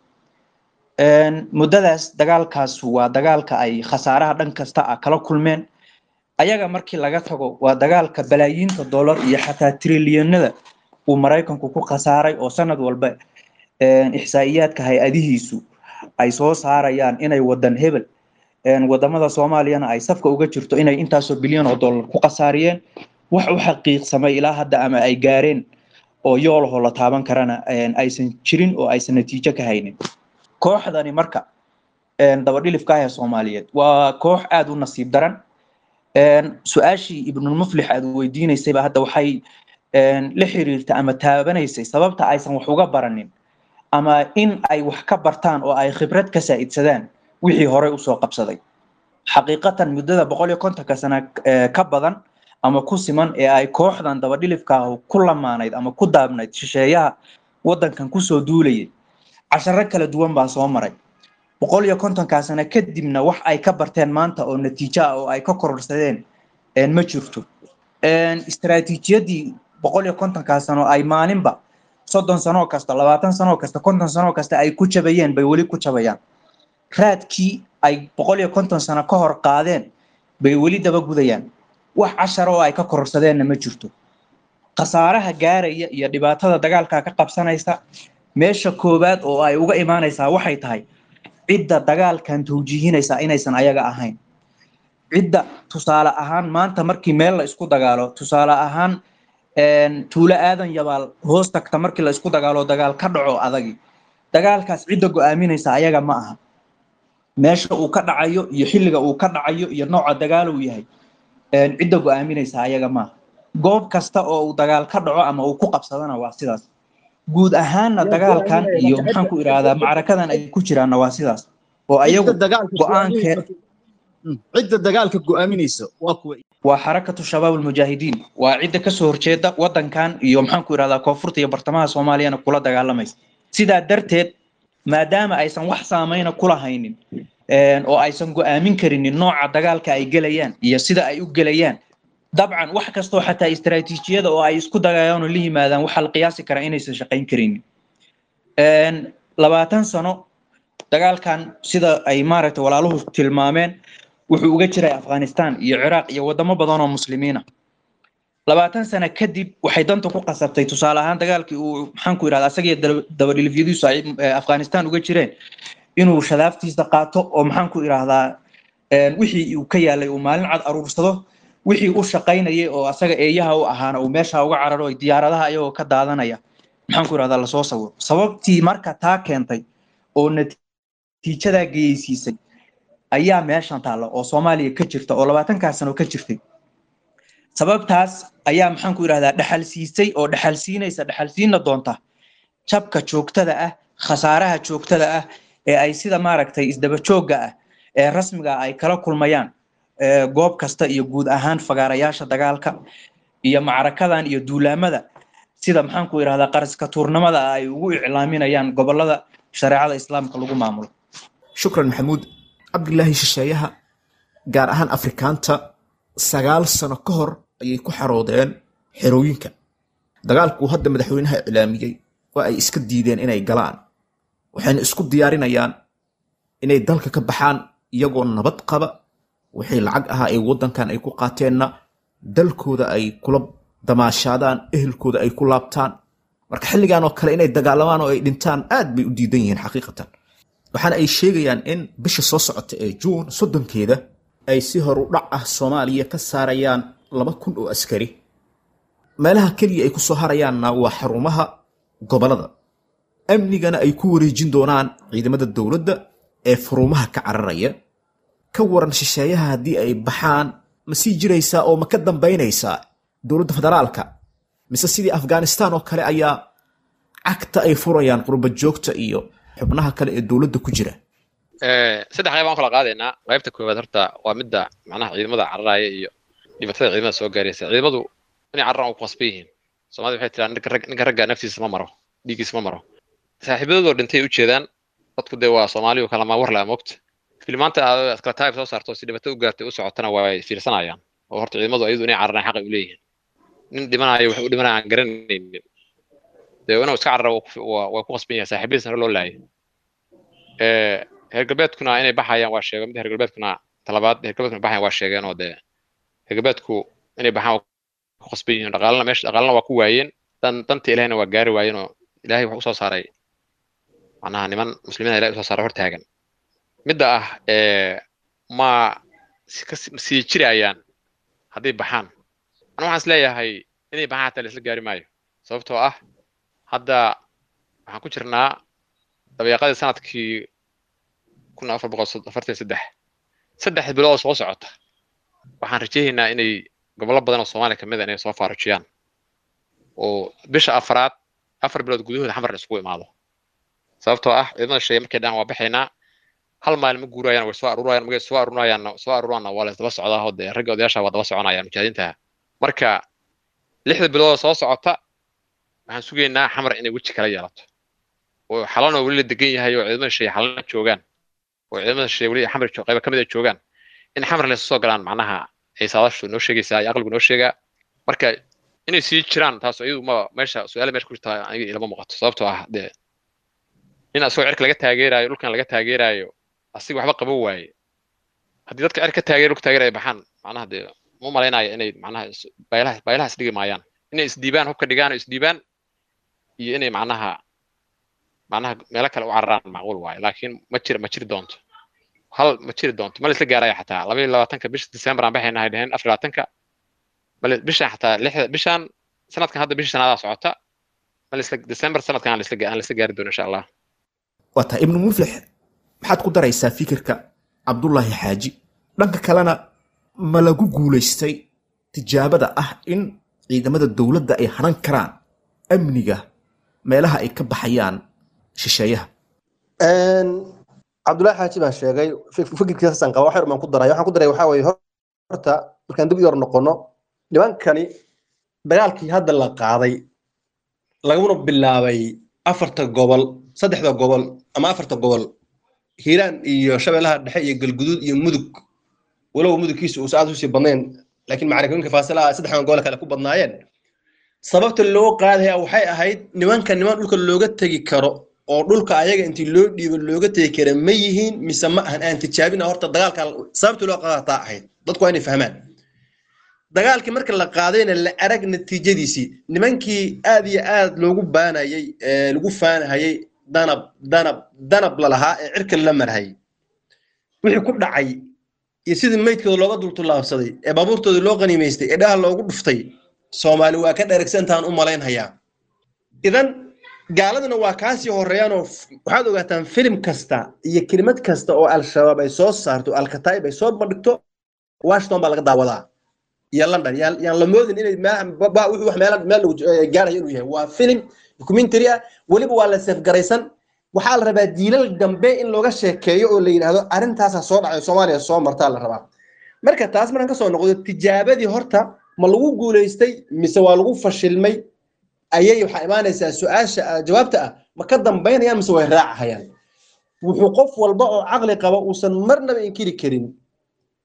Muddadaas dagaalkaas waa dagaalka ay khasaaraha dhan kasta ah kala kulmeen ayaga. Markii laga tago, waa dagaalka balaayiinta dollar iyo xataa trilyanada uu Maraykanku ku khasaaray, oo sanad walba ixsaa'iyaadka hay-adihiisu ay soo saarayaan inay wadan hebel, wadamada Soomaaliyana ay safka uga jirto, inay intaasoo bilyan oo dollar ku khasaariyeen. Wax u xaqiiqsamay ilaa hadda ama ay gaareen oo yoolahoo la taaban karana aysan jirin oo aysan natiijo ka haynin. Kooxdani marka dabadhilifka ah ee Soomaaliyeed waa koox aada u nasiib daran. Su-aashii Ibnulmuflix aad weydiinaysayba hadda waxay la xiriirta ama taabanaysay sababta aysan wax uga baranin ama in ay wax ka bartaan oo ay khibrad ka saa'idsadaan wixii horey usoo qabsaday. Xaqiiqatan, muddada boqol iyo kontonka sana ka badan ama ku siman ee ay kooxdan dabadhilifka ah ku lamaanayd ama ku daabnayd shisheeyaha waddankan kusoo duulayay, casharo kala duwan baa soo maray. Boqol iyo kontonkaa sano kadibna wax ay ka barteen maanta oo natiijo ah oo ay ka kororsadeen ma jirto. Istaraatiijiyadii boqol iyo kontonkaa sano ay maalinba soddon sanoo kasta, labaatan sanoo kasta, konton sanoo kasta ay ku jabayeen bay weli ku jabayaan. Raadkii ay boqol iyo konton sano ka hor qaadeen bay weli daba gudayaan. Wax cashara oo ay ka kororsadeenna ma jirto. Khasaaraha gaaraya iyo dhibaatada dagaalka ka qabsanaysa meesha koowaad oo ay uga imaanaysaa waxay tahay cidda dagaalkan tawjiihinaysa inaysan ayaga ahayn. Cidda tusaale ahaan maanta markii meel la isku dagaalo, tusaale ahaan tuulo Aadan Yabaal hoos tagta markii la isku dagaalo, dagaal ka dhaco adagi, dagaalkaas cidda go'aaminaysa ayaga ma aha. Meesha uu ka dhacayo iyo xilliga uu ka dhacayo iyo nooca dagaal uu yahay cidda go'aaminaysa ayaga ma aha. Goob kasta oo uu dagaal ka dhaco ama uu ku qabsadana waa sidaas. Guud ahaanna dagaalkan iyo maxaan ku idhaahdaa macrakadan ay ku jiraanna waa sidaas oo ayagu go'aankee cidda dagaalka go'aaminaysa waa kuwa waa Xarakatu Shabaab Almujaahidiin, waa cidda kasoo horjeeda wadankan iyo maxaan ku idhahdaa koonfurta iyo bartamaha Soomaaliyana kula dagaalamaysa. Sidaa darteed, maadaama aysan wax saameyna kula haynin oo aysan go'aamin karinin nooca dagaalka ay gelayaan iyo sida ay u gelayaan, dabcan wax kastoo xataa istaraatiijiyada oo ay isku dagayaan oo la yimaadaan waxaa la qiyaasi karaa inaysan shaqayn karinin. Labaatan sano dagaalkan, sida ay maaragtay walaaluhu tilmaameen, wuxuu uga jiray Afghanistan iyo Ciraaq iyo wadamo badan oo muslimiina. Labaatan sano kadib waxay danta ku qasabtay, tusaale ahaan dagaalkii uu maxaan ku yidhahdaa asagiyo dabadhilifyadiisu ay Afghanistan uga jireen, inuu shadaaftiisa qaato oo maxaan ku idhaahdaa wixii uu ka yaalay uu maalin cad aruursado, wixii u shaqaynayay oo asaga eeyaha u ahaana uu meesha uga cararo, ay diyaaradaha ayagoo ka daadanaya Maxaan ku irahdaa, lasoo sawiro sababtii marka taa keentay oo natiijadaa geysiisay ayaa meeshan taalla oo Soomaaliya ka jirta oo labaatankaa sano ka jirtay. Sababtaas ayaa, maxaan ku irahdaa, dhaxal siisay oo dhaxal siinaysa, dhaxal siina doonta jabka joogtada ah, khasaaraha joogtada ah ee ay sida maaragtay isdaba joogga ah ee rasmiga ah ay kala kulmayaan goob kasta iyo guud ahaan fagaarayaasha dagaalka iyo macrakadan iyo duulaamada, sida, maxaan ku irahdaa, qaraska tuurnimada ah ay ugu iclaaminayaan gobolada shareecada Islaamka lagu maamulo. Shukran, Maxamuud Cabdilaahi. Shisheeyaha, gaar ahaan Afrikaanta, sagaal sano ka hor ayay ku xaroodeen xerooyinka. Dagaalkuu hadda madaxweynaha iclaamiyey waa ay iska diideen inay galaan, waxayna isku diyaarinayaan inay dalka ka baxaan iyagoo nabad qaba, wixii lacag ahaa ee waddankan ay ku qaateenna dalkooda ay kula damaashaadaan, ehelkooda ay ku laabtaan. Marka xilligan oo kale inay dagaalamaan oo ay dhintaan aad bay u diidan yihiin xaqiiqatan. Waxaana ay sheegayaan in bisha soo socota ee Juun soddonkeeda ay si horu dhac ah Soomaaliya ka saarayaan laba kun oo askari. Meelaha keliya ay ku soo harayaanna waa xarumaha gobolada, amnigana ay ku wareejin doonaan ciidamada dowladda ee furumaha ka cararaya. Ka waran shisheeyaha haddii ay baxaan, ma sii jiraysaa oo ma ka dambaynaysaa dowladda federaalka, mise sidii Afghanistan oo kale ayaa cagta ay furayaan qurba joogta iyo xubnaha kale ee dowladda ku jira? Saddex qayb aan kala qaadaynaa. Qaybta koowaad horta waa midda macnaha ciidamada cararaya iyo dhibaatada ciidamada soo gaaraysa. Ciidamadu inay cararaan waa ku qasban yihiin. Soomaalida waxay tiraa, ninka rag ninka ragga naftiisa ma maro, dhiiggiisa ma maro. Saaxiibadoodoo dhintay u jeedaan. Dadku dee waa Soomaaliyu kalama war laa moogta. Filmaanta aad kala taayib soo saarto si dhibaato u gaartay u socotana waa ay fiirsanayaan. Oo horta ciidamadu ayadu inay cararaan xaq ay u leeyihiin. Nin dhimanayo wax u dhimanaya aan garanaynin dee inuu iska cararo waa ku qasban yahay, saaxiibadiisna hore loo laayay. Reer galbeedkuna inay baxayaan waa sheegeen. Midda reer galbeedkuna talabaad, reer galbeedkuna baxayaan waa sheegeen, oo dee reer galbeedku inay baxaan waa ku qasban yihiin. Dhaqaalana meesha dhaqaalana waa ku waayeen, dan danta Ilaahayna waa gaari waayeen, oo Ilaahay wuxuu usoo saaray macnaha niman muslimiina Ilahay usoo saaray hortaagan. Midda ah ma sii jirayaan hadday baxaan, anu waxaan is leeyahay inay baxaan xataa la isla gaari maayo, sababtoo ah hadda waxaan ku jirnaa dabeeqadii sanadkii kun afar boqol afartan saddex. Saddex bilood oo soo socota waxaan rajaynaynaa inay gobollo badan oo Soomaaliya kamid a inay soo faarujiyaan, oo bisha afraad afar bilood gudahooda Xamar la isugu imaado, sababtoo ah ciidamada shisheeye markay dhahaan waa baxaynaa, hal maalin ma guurayaan, way soo aruurayaan. Markay soo aruurayaan soo aruuraanna waa la isdaba socdaa, oo dee ragga odayaasha waa daba soconayaan mujaahidiinta. Marka lixda bilood oo soo socota waxaan sugaynaa Xamar inay weji kala yeelato, oo Xalanoo weli la degan yahay oo ciidamada shisheeye Xalana joogaan, oo ciidamada shisheeye weli Xamar qayba ka mid a joogaan, in Xamar laysu soo galaan macnaha ay saadaashu noo sheegaysaa iyo aqligu noo sheegaa. Marka inay sii jiraan taas iyadu ma meesha su-aala meesha ku jirta aniga ilama muuqato, sababtoo ah dee nin asagoo cirka laga taageerayo, dhulkan laga taageerayo, asiga waxba qaban waaye. Haddii dadka cirka ka taageer, dhulka taageeraya baxaan, macnaha dee ma malaynayo inay macnaha baylaha baylaha isdhigi maayaan, inay isdhiibaan, hubka dhigaan oo isdhiibaan, iyo inay macnaha macnaha meelo kale u cararaan macquul waaye. Laakiin ma jir ma jiri doonto, hal ma jiri doonto, ma la isla gaaraya xataa laba iyo labaatanka bisha December aan baxaynahay dheheen, afar iyo labaatanka bale bishan xataa lixda bishan sanadkan, hadda bisha shanaadaa socota, ma la isla December sanadkan aan la isla aan la isla gaari doono insha Allah. Waa tahay. Ibnu Muflix, maxaad ku daraysaa fikirka Cabdullaahi Xaaji? Dhanka kalena ma lagu guulaystay tijaabada ah in ciidamada dowladda ay hanan karaan amniga meelaha ay ka baxayaan shisheeyaha? Cabdullaahi Xaaji baa sheegay fikirkiisaan qaba, wax yar baan ku daray. Waxaan ku daray waxaa weeye, horta markaan dib u yar noqono, nimankani dagaalkii hadda la qaaday laguna bilaabay afarta gobol, saddexda gobol ama afarta gobol, Hiiraan iyo Shabeellaha Dhexe iyo Galguduud iyo Mudug, walow mudugkiisu uusan aad usii badnayn, laakiin macrakooyinka faasilaha saddexdan gobol kale ku badnaayeen. Sababta loo qaadaya waxay ahayd nimanka niman dhulka looga tegi karo oo dhulka ayaga intii loo dhiibo looga tegi kara ma yihiin mise ma ahan, aan tijaabina horta dagaalka. Sababta loo qaadataa ahayd dadku waa inay fahmaan. Dagaalkii marka la qaadayna la arag natiijadiisii, nimankii aad iyo aad loogu baanayay ee lagu faanahayay, Danab Danab Danab lalahaa ee cirka la marhayay, wixii ku dhacay iyo sidii meydkooda looga dultulaabsaday ee baabuurtooda loo qaniimaystay ee dhaha loogu dhuftay, Soomaali waa ka dheragsantaan u malaynhayaa. Idan Gaaladuna waa kaasii horeeyaan oo waxaad ogaataan filim kasta iyo kelimad kasta oo Al-Shabaab ay soo saarto, Al-Kataib ay soo bandhigto, Washington baa laga daawadaa iyo London. Yaan yaan la moodin inay meelaha wuxuu wax meel meel lagu gaarayo inuu yahay. Waa filim documentary ah, weliba waa la safgaraysan. Waxaa la rabaa jiilal dambe in looga sheekeeyo oo la yidhaahdo arrintaasaa soo dhacay, Soomaaliya soo martaa la rabaa. Marka taas markaan kasoo noqdo, tijaabadii horta ma lagu guulaystay mise waa lagu fashilmay ayay waxaa imaanaysaa su-aasha jawaabta ah, ma ka dambaynayaan mise way raacahayaan? Wuxuu qof walba oo caqli qaba uusan marnaba inkiri karin,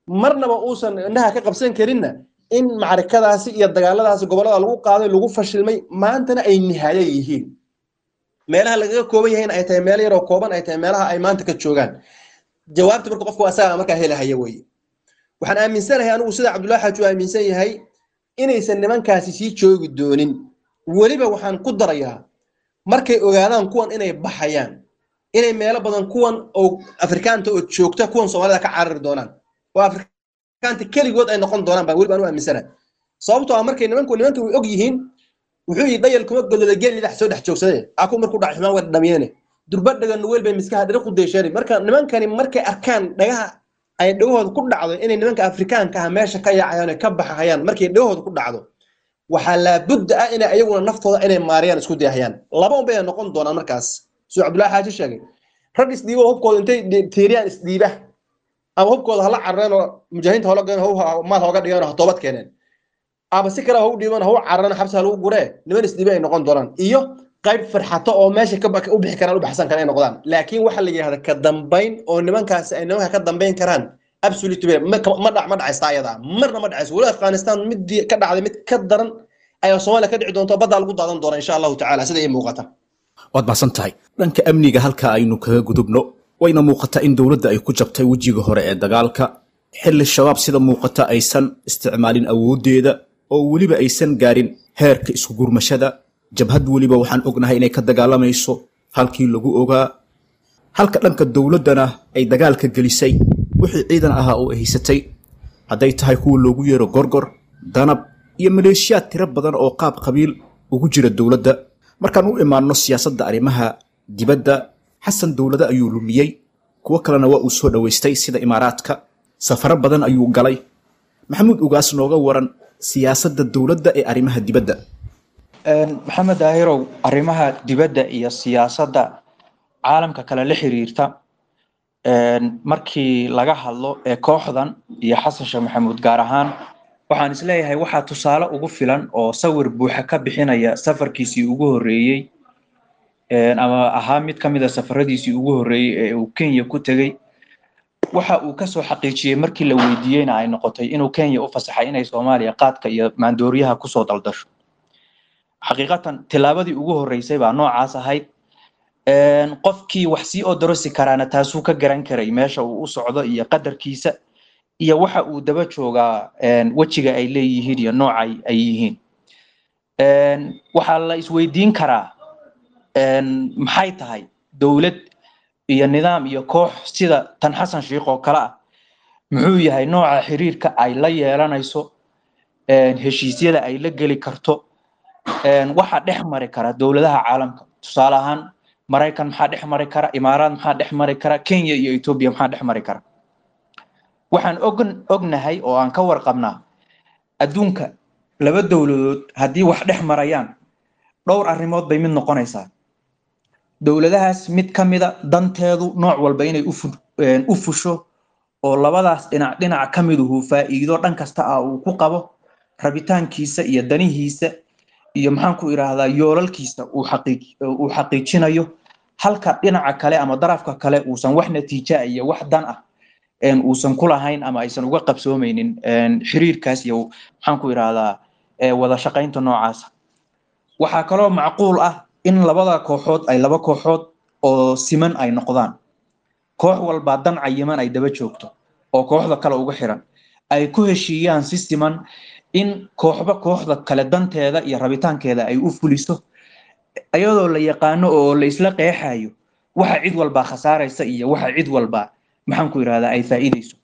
marnaba uusan indhaha ka qabsan karinna, in macrikadaasi iyo dagaaladaasi gobollada lagu qaaday lagu fashilmay, maantana ay nihaaye yihiin, meelaha lagaga kooban yahayna ay tahay meel yaroo kooban, ay tahay meelaha ay maanta ka joogaan. Jawaabta marka qofku asaga markaa helahaya weye. Waxaan aaminsanahay anigu, sida Cabdullahi Xaaji uu aaminsan yahay, inaysan nimankaasi sii joogi doonin. Weliba waxaan ku darayaa, markay ogaadaan kuwan inay baxayaan, inay meelo badan kuwan oo Afrikaanta oo joogta kuwan Soomaalida ka carari doonaan oo Afrikaanta keligood ay noqon doonaan baan weliba anu aaminsanahay. Sababtoo ah markay nimanku nimanka way og yihiin, wuxuu yidhi dhayal kuma godlada geel lidax soo dhex joogsaday aku markuu dhac xumaan waa dhamyeene durba dhaga nuweel bay miskaha dhiri ku deesheen. Marka nimankani markay arkaan dhagaha ay dhagahooda ku dhacdo inay nimanka Afrikaanka ah meesha ka yaacayaan oo ka baxayaan, markay dhagahooda ku dhacdo waxaa laabudda ah inay ayaguna naftooda inay maariyaan isku dayahayaan. Laba un bay noqon doonaan markaas, siduu Cabdullahi Xaaji sheegay: rag isdhiibo, hubkooda intay tiiriyaan isdhiiba, ama hubkooda hala carareen oo mujaahidiinta hola geen, maal hooga dhigeen oo ha toobad keeneen, ama si kale ha u dhiiban, ha u carareen, xabsi ha lagu guree, niman isdhiiba ay noqon doonaan, iyo qayb farxato oo meesha ka u bixi karaan, u baxsan karaan ay noqdaan. Laakiin waxa la yidhahda ka dambayn oo nimankaasi ay nimanka ka dambayn karaan, absolutely ma ma dhac ma dhacaysta ayada, marna ma dhacayso. Weli Afghanistan midii ka dhacday mid ka daran ayaa Soomaaliya ka dhici doonta, baddaa lagu daadan doona insha Allahu tacaala, sida ii muuqata. Waad mahadsan tahay. Dhanka amniga halka aynu kaga gudubno, wayna muuqataa in dowladda ay ku jabtay wejiga hore ee dagaalka, xilli Shabaab sida muuqata aysan isticmaalin awooddeeda oo weliba aysan gaarin heerka isku gurmashada. Jabhad weliba waxaan ognahay inay ka dagaalamayso halkii lagu ogaa, halka dhanka dowladdana ay dagaalka gelisay wixii ciidan ahaa oo ay haysatay, hadday tahay kuwa loogu yeero Gorgor, Danab iyo maleeshiyaad tiro badan oo qaab qabiil ugu jira dowladda. Markaan u imaanno siyaasadda arrimaha dibadda, Xasan dowlado ayuu lumiyey, kuwo kalena waa uu soo dhowaystay sida Imaaraadka, safaro badan ayuu galay. Maxamuud Ugaas, nooga waran siyaasadda dowladda ee arrimaha dibadda. Maxamed Daahirow, arrimaha dibadda iyo siyaasadda caalamka kale la xiriirta markii laga hadlo ee kooxdan iyo Xasan Sheekh Maxamuud gaar ahaan, waxaan isleeyahay waxaa tusaale ugu filan oo sawir buuxa ka bixinaya safarkiisii ugu horreeyey, ama ahaa mid ka mid a safaradiisii ugu horreeyey ee uu Kenya ku tegey. Waxa uu kasoo xaqiijiyey markii la weydiiyeyna ay noqotay inuu Kenya u fasaxay inay Soomaaliya qaadka iyo maandooriyaha kusoo daldasho. Xaqiiqatan tillaabadii ugu horreysay baa noocaas ahayd. Qofkii wax sii odorosi karaana taasuu ka garan karay meesha uu u socdo iyo qadarkiisa iyo waxa uu daba joogaa, wejiga ay leeyihiin iyo nooca ay yihiin. Waxaa la isweydiin karaa, maxay tahay dowlad iyo nidaam iyo koox sida tan Xasan Sheikh oo kale ah, muxuu yahay nooca xiriirka ay la yeelanayso, heshiisyada ay la geli karto, waxa dhex mari kara dowladaha caalamka? Tusaale ahaan Maraykan maxaa dhex mari kara, Imaaraad maxaa dhex mari kara, Kenya iyo Ethiopia maxaa dhex mari kara? Waxaan og ognahay oo aan ka warqabnaa adduunka laba dowladood haddii wax dhex marayaan, dhowr arrimood bay mid noqonaysaa. Dowladahaas mid ka mida danteedu nooc walba inay u fusho oo labadaas dhinac dhinac ka miduhu faa'iido dhan kasta ah uu ku qabo, rabitaankiisa iyo danihiisa iyo maxaan ku idhaahdaa yoolalkiisa uu xaqiij uu xaqiijinayo, halka dhinaca kale ama darafka kale uusan wax natiija iyo wax dan ah uusan ku lahayn ama aysan uga qabsoomeynin xiriirkaas iyo maxaan ku idhaahdaa wada shaqaynta noocaasa. Waxaa kaloo macquul ah in labada kooxood ay laba kooxood oo siman ay noqdaan, koox walbaa dan cayiman ay daba joogto oo kooxda kale uga xiran, ay ku heshiiyaan si siman in kooxba kooxda kale danteeda iyo rabitaankeeda ay u fuliso, iyadoo la yaqaano oo la isla qeexayo waxa cid walbaa khasaaraysa iyo waxa cid walbaa maxaan ku idhahdaa ay faa'iidayso.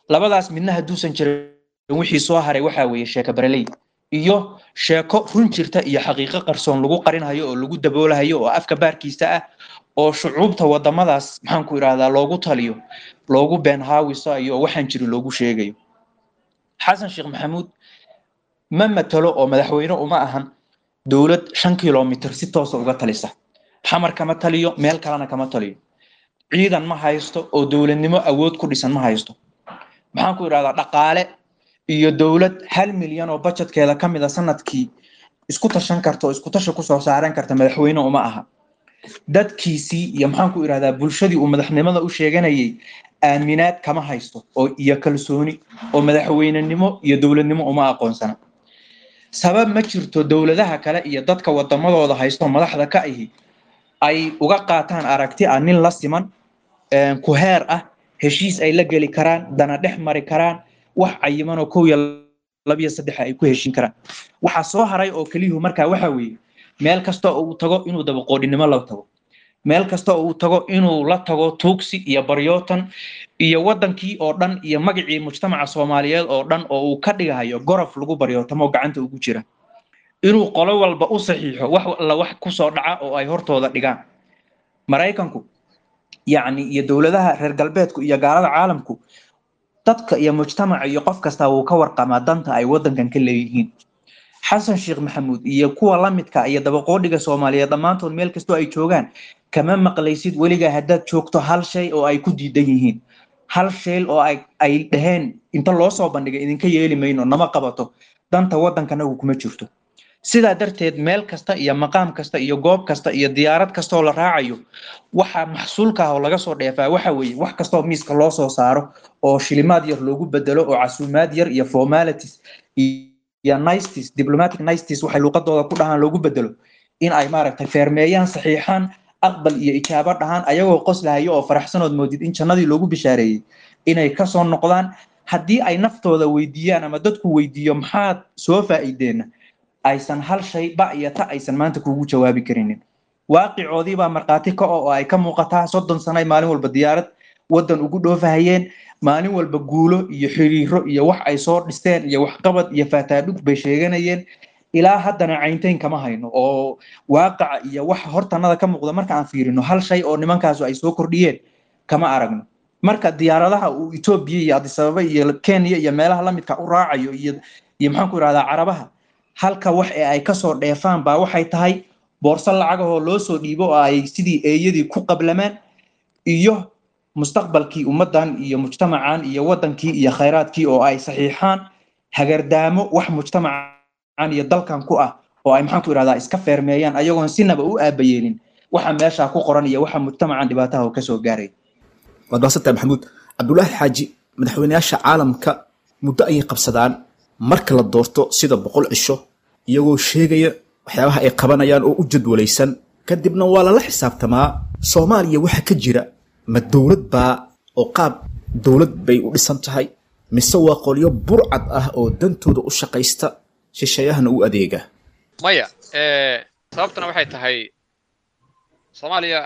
Labadaas midna hadduusan jirin, wixii soo haray waxaa weeye sheeka bareley Iyo sheeko run jirta iyo xaqiiqo qarsoon lagu qarinhayo oo lagu daboolahayo oo afka baarkiisa ah oo shucuubta wadamadaas, maxaan ku idhahdaa, loogu taliyo, loogu been haawisayo oo waxaan jirin loogu sheegayo. Xasan Sheekh Maxamuud ma matalo oo madaxweyne uma ahan dowlad shan kilomitir si toosa uga talisa. Xamar kama taliyo, meel kalena kama taliyo. Ciidan ma haysto oo dowladnimo awood ku dhisan ma haysto. Maxaan ku idhahdaa, dhaqaale iyo dowlad hal milyan oo budgetkeeda ka mid a sanadkii isku tashan karta oo isku tashi kusoo saaran karta madaxweyne uma aha. Dadkiisii iyo, maxaan ku idhahdaa, bulshadii uu madaxnimada u sheeganayay aaminaad kama haysto oo iyo kalsooni oo madaxweynenimo iyo dowladnimo uma aqoonsana. Sabab ma jirto dowladaha kale iyo dadka wadamadooda haysto madaxda ka ahi ay uga qaataan aragti ah nin la siman, ku heer ah, heshiis ay la geli karaan, dana dhex mari karaan, wax cayiman oo kow iyo labiyo saddex ay ku heshin karaan. Waxaa soo haray oo keliyuhu markaa waxa weeye meel kasta oo uu tago inuu dabaqoodhinimo la tago, meel kasta oo uu tago inuu la tago tuugsi iyo baryootan iyo wadankii oo dhan iyo magacii mujtamaca Soomaaliyeed oo dhan oo uu ka dhigahayo gorof lagu baryootamo gacanta ugu jira, inuu qolo walba u saxiixo wax alla wax kusoo dhaca oo ay hortooda dhigaan. Maraykanku yacni iyo dowladaha reer galbeedku iyo gaalada caalamku, dadka iyo mujtamaca iyo qof kasta wuu ka warqamaa danta ay wadankan ka leeyihiin. Xasan Sheekh Maxamuud iyo kuwa la midka iyo dabaqoodhiga Soomaaliyeed dhammaantood meel kastoo ay joogaan kama maqlaysid weligaa haddaad joogto hal shay oo ay ku diidan yihiin, hal shay oo ay ay dhaheen inta loo soo bandhigay idinka yeeli mayno, nama qabato, danta waddankanagu kuma jirto. Sidaa darteed meel kasta iyo maqaam kasta iyo goob kasta iyo diyaarad kasta oo la raacayo, waxa maxsuulka ah oo laga soo dheefaa waxa weeye wax kasta oo miiska loo soo saaro oo shilimaad yar loogu bedelo oo casuumaad yar iyo formalities iyo niceties, diplomatic niceties waxay luuqadooda ku dhahaan, loogu bedelo in ay maaragtay feermeeyaan, saxiixaan, aqbal iyo ijaabo dhahaan, ayagoo qoslahayo oo faraxsanood moodid in jannadii loogu bishaareeyey inay kasoo noqdaan. Haddii ay naftooda weydiiyaan ama dadku weydiiyo maxaad soo faa'iideenna, aysan hal shay ba iyo ta aysan maanta kuugu jawaabi karinin. Waaqicoodii baa markhaati ka oo ay ka muuqataa. Soddon sano ay maalin walba diyaarad waddan ugu dhoofahayeen, maalin walba guulo iyo xiriiro iyo wax ay soo dhisteen iyo waxqabad iyo faataadhug bay sheeganayeen. Ilaa haddana cayntayn kama hayno oo waaqaca iyo waxa hortanada ka muuqda marka aan fiirino hal shay oo nimankaasu ay soo kordhiyeen kama aragno. Marka diyaaradaha uu Etoobiya iyo Addis Ababa iyo Kenya iyo meelaha lamidka u raacayo iyo iyo maxaan ku idhahdaa Carabaha, halka wax ee ay kasoo dheefaan baa waxay tahay boorso lacagahoo loo soo dhiibo oo ay sidii eeyadii ku qablamaan iyo mustaqbalkii ummaddan iyo mujtamacan iyo waddankii iyo khayraadkii oo ay saxiixaan, hagardaamo wax mujtamacan iyo dalkan ku ah oo ay, maxaan ku idhahdaa, iska feermeeyaan ayagoon sinaba u aabayeelin waxa meeshaa ku qoran iyo waxa mujtamacan dhibaataha oo kasoo gaaray. Waad mahadsantahay, Maxamuud Cabdulaahi Xaaji. Madaxweyneyaasha caalamka muddo ayay qabsadaan marka la doorto, sida boqol cisho, iyagoo sheegaya waxyaabaha ay qabanayaan oo u jadwalaysan, kadibna waa lala xisaabtamaa. Soomaaliya waxa ka jira ma dowlad baa oo qaab dowlad bay u dhisan tahay, mise waa qolyo burcad ah oo dantooda u shaqaysta, shisheeyahana u adeega? Maya, sababtuna waxay tahay Soomaaliya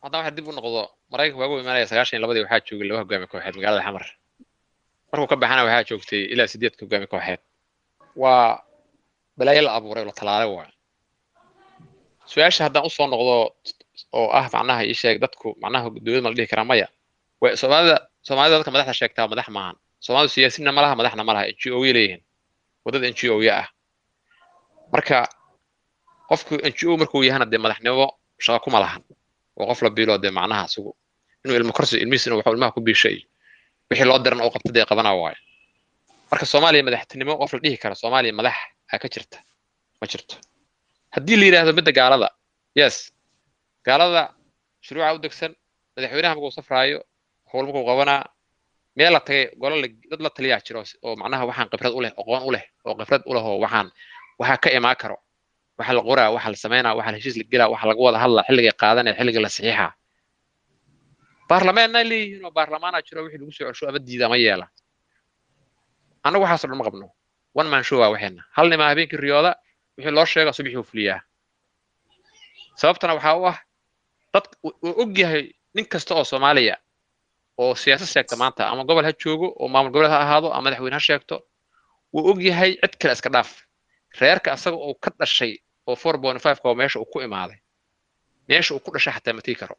haddana waxa dib u noqdo Maraykanka waagu imaanaya sagaashan iyo labadii waxaa joogay laba hogaami kooxeed magaalada Xamar. Markuu ka baxana waxaa joogtay ilaa sideed hogaami kooxeed. Waa balaayo la abuuray oo la talaalay waay. Su-aasha haddaan usoo noqdo oo ah macnaha ii sheeg dadku macnaha dowlad ma la dhihi karaa? Maya. Way soomaalida soomaalida dadka madaxda sheegtaa madax maahan. Soomaalidu siyaasinna ma laha, madaxna ma laha, N G O ya leeyihiin, wadada N G O ya ah. Marka qofku N G O markuu yahana dee madaxnimo shaqo kuma lahan, oo qof la biilo dee macnaha isagu inuu ilmo korsi ilmihiis inuu waxuu ilmaha ku biishay wixii loo diran oo qabta dee qabana waayo. Marka Soomaaliya madaxtinimo qof la dhihi karo Soomaaliya madax aa ka jirta ma jirto. Haddii la yidhaahdo midda gaalada, yes, gaalada shuruuca u degsan, madaxweynaha markuu safraayo, howl markuu qabanaa, meel la tagay golo dad la taliyaa jiro oo macnaha waxaan khibrad u leh, aqoon u leh oo khibrad u leh oo waxaan waxaa ka imaan karo, waxa la qoraa, waxa la sameynaa, waxa la heshiis la gelaa, waxa lagu wada hadlaa, xilligay qaadanaya, xilliga la saxiixa. Baarlamaanna leeyihiin oo baarlamaanaa jiro wixii lagu soo celsho ama diida ama yeela. Annagu waxaas oo dhan ma qabno. One man show waa waxeena. Hal nimaa habeenkii riyooda, wixii loo sheega subaxii uu fuliyaa. Sababtana waxaa u ah dad uu og yahay nin kasta oo Soomaaliya oo siyaasad sheegta maanta, ama gobol ha joogo oo maamul goboleed ha ahaado ama madaxweyne ha sheegto, Wuu og yahay, cid kale iska dhaaf, reerka asaga oo ka dhashay oo four point five ka oo meesha uu ku imaaday, meesha uu ku dhashay xataa ma tegi karo,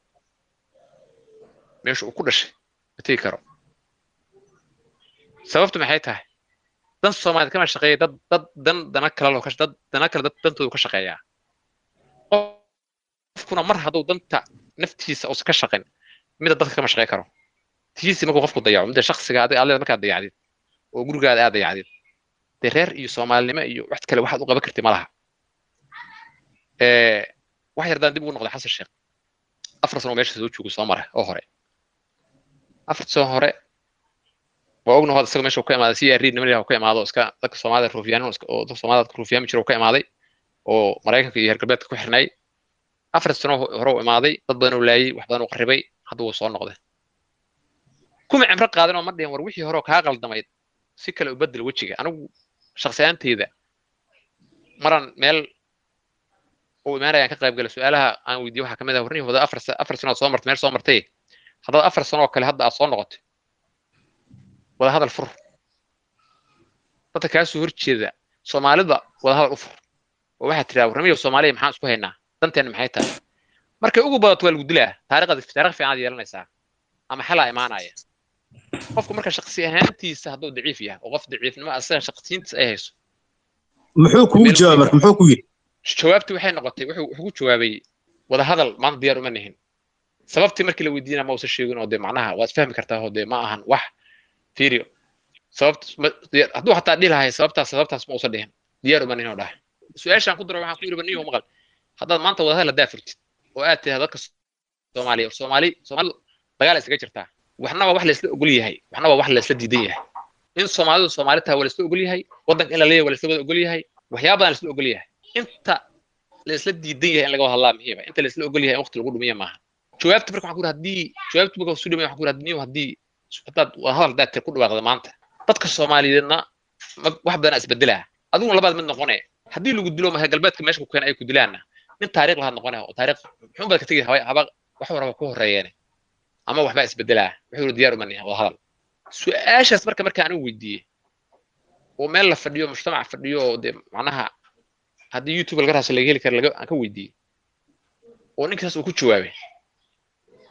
meesha uu ku dhashay ma tegi karo. Sababtu maxay tahay? Dan Soomaaliyeed kama shaqeeya, dad dad dan dana kale loo ka dad dana kale dad dantoodu ka shaqeeyaa. Qofkuna mar hadduu danta naftiisa uusan ka shaqayn, mida dadka kama shaqey karo. Tiisi markuu qofku dayaco, midda shakhsiga adiga aad leedahay markaad dayacdid oo gurigaada aad dayacdid, dee reer iyo Soomaalinimo iyo wax kale waxaad u qaban kartid ma laha. Ee, wax yardaan dib ugu noqday Xasan Sheekh, afar sano meesha soo joogo soo mara oo hore, afar sano hore waa ognahay hadda isaga meesha uu ka imaaday, C R niman uu ka imaado, iska dadka Soomaalida ruufyaan oo dadka Soomaalida dadka ruufyaami jira uu ka imaaday oo Maraykanka iyo reer galbeedka ku xirnay. Afar sano hore uu imaaday, dad badan uu laayay, wax badan uu qarribay, hadda wuu soo noqday. Kuma cimro qaadan oo ma dhihin war wixii hore oo kaa qaldamayd si kale u bedel wejiga. Anigu shakhsi ahaanteyda maran meel uu imaanayaan ka qayb galay, su-aalaha aan weydiiyey waxaa kamid ah: warnihi wada afar afar sano soo martay, meel soo martay, haddaad afar sano oo kale hadda aad soo noqotay, wada hadal fur dadka kaa soo horjeeda Soomaalida, wada hadal u fur oo waxaad tiraa: warnimiyo Soomaaliya, maxaan isku haynaa? Danteena maxay tahay? Markay ugu badato waa lagu dilaa, taariikhda taariikh fiican aad yeelanaysaa ama xalaa imaanaya. Qofku marka shakhsi ahaantiisa hadduu daciif yahay oo qof daciifnimo asaga shakhsiyiintiisa ay hayso. Muxuu kugu jawaabay marka? Muxuu ku yidhi? Jawaabtii waxay noqotay, wuxuu wuxuu ku jawaabay: wada hadal maanta diyaar uma nihin. Sababtii markii la weydiinaa ma uusan sheegin, oo dee macnaha waad fahmi kartaa, oo dee ma ahan wax fiiriyo sababta hadduu xataa dhihi lahay sababtaas sababtaas ma uusan dhihin, diyaar uma nihin oo dhahay. Su-aashaan ku daro waxaan ku yidhi: niyo maqal, haddaad maanta wada hadal haddaa furtid oo aad tidahdo dadka Soomaaliya, Soomaali Soomaalidu dagaal isaga jirtaa, waxna waa wax la isla ogol yahay, waxna waa wax la isla diidan yahay. In Soomaalidu Soomaali tahay waa la isla ogol yahay, waddanka in la leeyahay waa la isla wada ogol yahay, waxyaaba badan la isla ogol yahay. Inta la isla diidan yahay in laga wada hadlaa muhiima, inta la isla ogol yahay in waqti lagu dhumiya maaha. Jawaabta marka waxaan ku yidhi, haddii jawaabta marka soo dhimay, waxaan ku yidhi: haddii haddaad wada hadal haddaad ku dhawaaqda maanta, dadka Soomaaliyeedna wax badan isbedelaa, adiguna labaad mid noqonaya. Haddii lagu dilo maha galbeedka meesha ku keena ay ku dilaanna, nin taariikh lahaad noqonaya oo taariikh muxuun baad ka tegi, haba haba wax waraba ku horreeyeen ama waxbaa isbedelaa. Wuxuu yidhi: diyaar uma nihin wada hadal. Su-aashaas marka marka anigu weydiiyey oo meel la fadhiyo, mujtamac fadhiyo, oo dee macnaha haddii YouTube laga raadso laga heli karo, laga aan ka weydiiyey oo ninkaas uu ku jawaabay,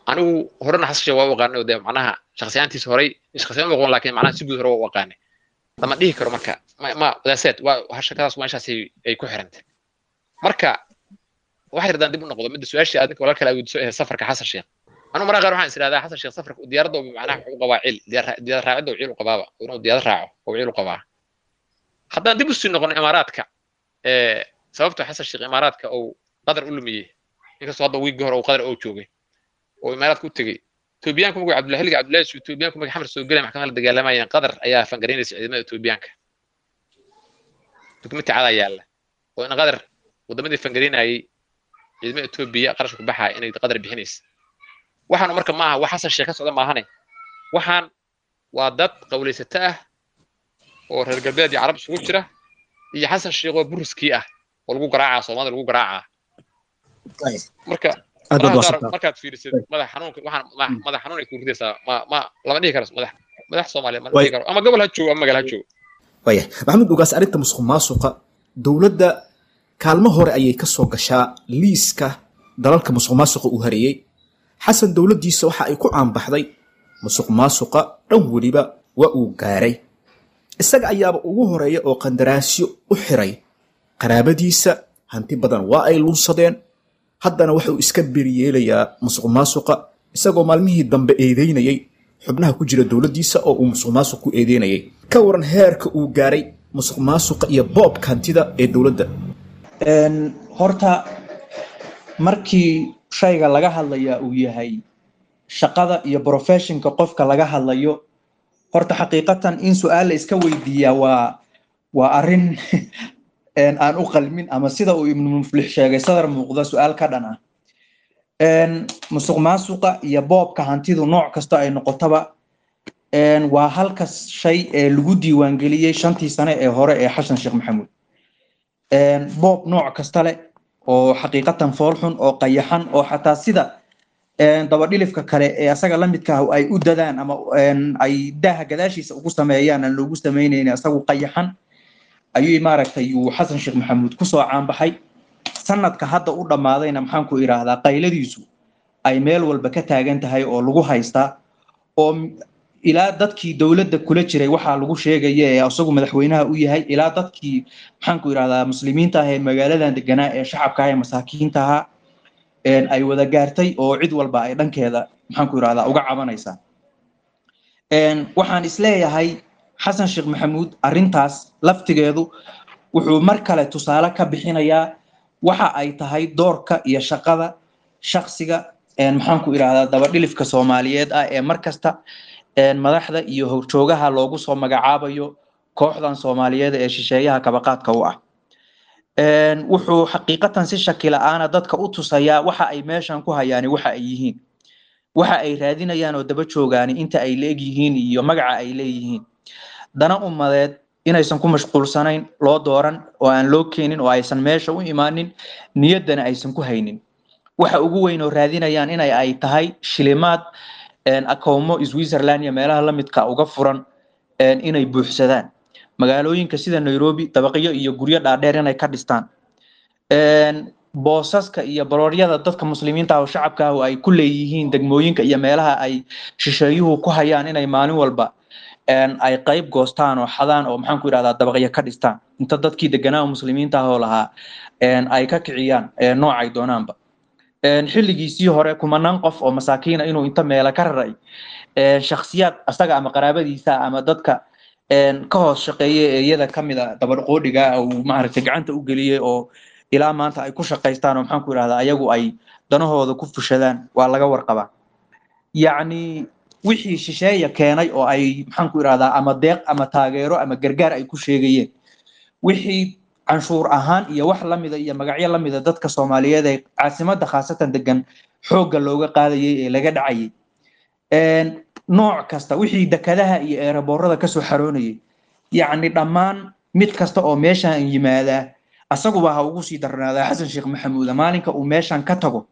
anigu horena Xasan Sheekh waa u aqaanay oo dee macnaha shakhsiyaantiisa horay shakhsiyan u aqoon, laakiin macnaha si guud hore waa u aqaanay, lama dhihi karo marka ma ma that's it, waa shakadaas meeshaas ay ku xirantay. Marka wax yardaan dib u noqdo midda su-aashii aad ninka walaalka weydiiso ee safarka Xasan Sheekh, anigu mararka qaar waxaan is idhahdaa Xasan Sheekh safarka diyaaradda macnaha wuxuu u qabaa cil, diyaar raacidda uu ciil u qabaaba, inuu diyaarad raaco oo ciil u qabaa. Haddaan dib usii noqono Imaaraadka, ee sababta Xasan Sheekh Imaaraadka uu Qadar u lumiyey, inkastoo hadda wiigii hore uu Qadar oo joogay oo Imaaraadka u tegey, Etoobiyaanku markuu Cabdullahi xilliga Cabdullahi Etoobiyaanku markay Xamar soo gelay maxkamadda la dagaalamayeen, Qadar ayaa fangaraynaysa ciidamada Etoobiyaanka. Dukumenti cadaa yaalla oo in Qadar wadamadii fangaraynayay ciidamada Etoobiya qarashka ku baxaya inay Qadar bixinaysa. Waxaanu marka ma aha wax Xasan Sheekh ka socda maahane, waxaan waa dad qawlaysato ah oo reer galbeed iyo Carab isugu jira iyo Xasan Sheekh oo buriskii ah oo lagu garaacaa Soomaalida lagu garaacaa. Marka markaad fiirisid madax xanuunka, waxaan madax xanuun ay ku ridaysaa, ma ma lama dhihi karo madax madax Soomaaliya ma dhihi karo, ama gobol ha joogo ama magaalo ha joogo. Waaya Maxamed Ugaas, arrinta musuq maasuqa dowladda kaalmo hore ayay ka soo gashaa liiska dalalka musuq maasuqa uu hareeyey. Xasan dowladdiisa waxa ay ku caanbaxday musuq maasuqa dhan weliba waa uu gaaray, isaga ayaaba ugu horeeya oo qandaraasyo u xiray qaraabadiisa, hanti badan waa ay lunsadeen. Haddana wuxuu iska beriyeelayaa musuq maasuqa, isagoo maalmihii dambe eedeynayay xubnaha ku jira dowladdiisa oo uu musuq maasuq ku eedeynayay. Ka waran heerka uu gaaray musuq maasuqa iyo boobka hantida ee dowladda? Horta markii shayga laga hadlayaa uu yahay shaqada iyo professionka qofka laga hadlayo, horta xaqiiqatan in su-aal la iska weydiiyaa waa waa arrin aan u qalmin, ama sida uu Ibnu Muflix sheegay sadar muuqda su-aal ka dhan ah. Musuq maasuqa iyo boobka hantidu nooc kasta ay noqotaba waa halka shay ee lagu diiwaangeliyey shantii sane ee hore ee Xasan Sheekh Maxamuud. Boob nooc kasta leh oo xaqiiqatan foolxun oo qayaxan oo xataa sida dabadhilifka kale ee asaga la midka ah ay u dadaan ama ay daaha gadaashiisa ugu sameeyaan aan loogu sameynaynin, asagu qayaxan Ayuu maaragtay uu Xasan Sheekh Maxamuud kusoo caanbaxay. Sanadka hadda u dhammaadayna, maxaan ku idhaahdaa, qayladiisu ay meel walba ka taagan tahay oo lagu haystaa, oo ilaa dadkii dowladda kula jiray waxaa lagu sheegaya ee isagu madaxweynaha u yahay, ilaa dadkii, maxaan ku idhahdaa, muslimiinta ah ee magaaladan deganaa ee shacabka ah ee masaakiinta ahaa ay wada gaartay, oo cid walba ay dhankeeda, maxaan ku idhahdaa, uga cabanaysaa. Waxaan isleeyahay Xasan Sheekh Maxamuud arrintaas laftigeedu wuxuu mar kale tusaale ka bixinayaa waxa ay tahay doorka iyo shaqada shakhsiga, maxaan ku idhahdaa, dabadhilifka Soomaaliyeed ah ee mar kasta madaxda iyo horjoogaha loogu soo magacaabayo kooxdan Soomaaliyeed ee shisheeyaha kabaqaadka u ah. Wuxuu xaqiiqatan si shaki la'aana dadka u tusayaa waxa ay meeshan ku hayaani waxa ay yihiin, waxa ay raadinayaan oo daba joogaani inta ay leeg yihiin iyo magaca ay leeyihiin. Dana ummadeed inaysan ku mashquulsanayn, loo dooran oo aan loo keenin oo aysan meesha u imaanin, niyaddana aysan ku haynin. Waxa ugu weyn oo raadinayaan inay ay tahay shilimaad akoomo Switzerland iyo meelaha la midka uga furan inay buuxsadaan, magaalooyinka sida Nairobi dabaqyo iyo guryo dhaadheer inay ka dhistaan, boosaska iyo barooryada dadka muslimiinta ah oo shacabka ah oo ay ku leeyihiin degmooyinka iyo meelaha ay shisheeyuhu ku hayaan inay maalin walba ay qayb goostaan oo xadaan oo, maxaan ku idhahdaa, dabaqyo ka dhistaan, inta dadkii deganaa muslimiinta ah oo lahaa ay ka kiciyaan noocay doonaanba. Xilligiisii hore kumanaan qof oo masaakiina inuu inta meela ka raray shakhsiyaad asaga ama qaraabadiisa ama dadka ka hoos shaqeeya ee iyada kamid a dabadhqoodhiga uu maaragtay gacanta u geliyey oo ilaa maanta ay ku shaqaystaan oo, maxaan ku idhahdaa, ayagu ay danahooda ku fushadaan, waa laga warqabaa. Yacni wixii shisheeya keenay oo ay, maxaan ku idhahdaa, ama deeq ama taageero ama gargaar ay ku sheegayeen, wixii canshuur ahaan iyo wax lamida iyo magacyo lamida dadka Soomaaliyeed ee caasimadda khaasatan degan xoogga looga qaadayay ee laga dhacayay, nooc kasta, wixii dekadaha iyo eeraboorada kasoo xaroonayay, yacni dhammaan mid kasta oo meeshan yimaadaa, asaguba ha ugu sii darnaadaa Xasan Sheekh Maxamuuda, maalinka uu meeshan ka tago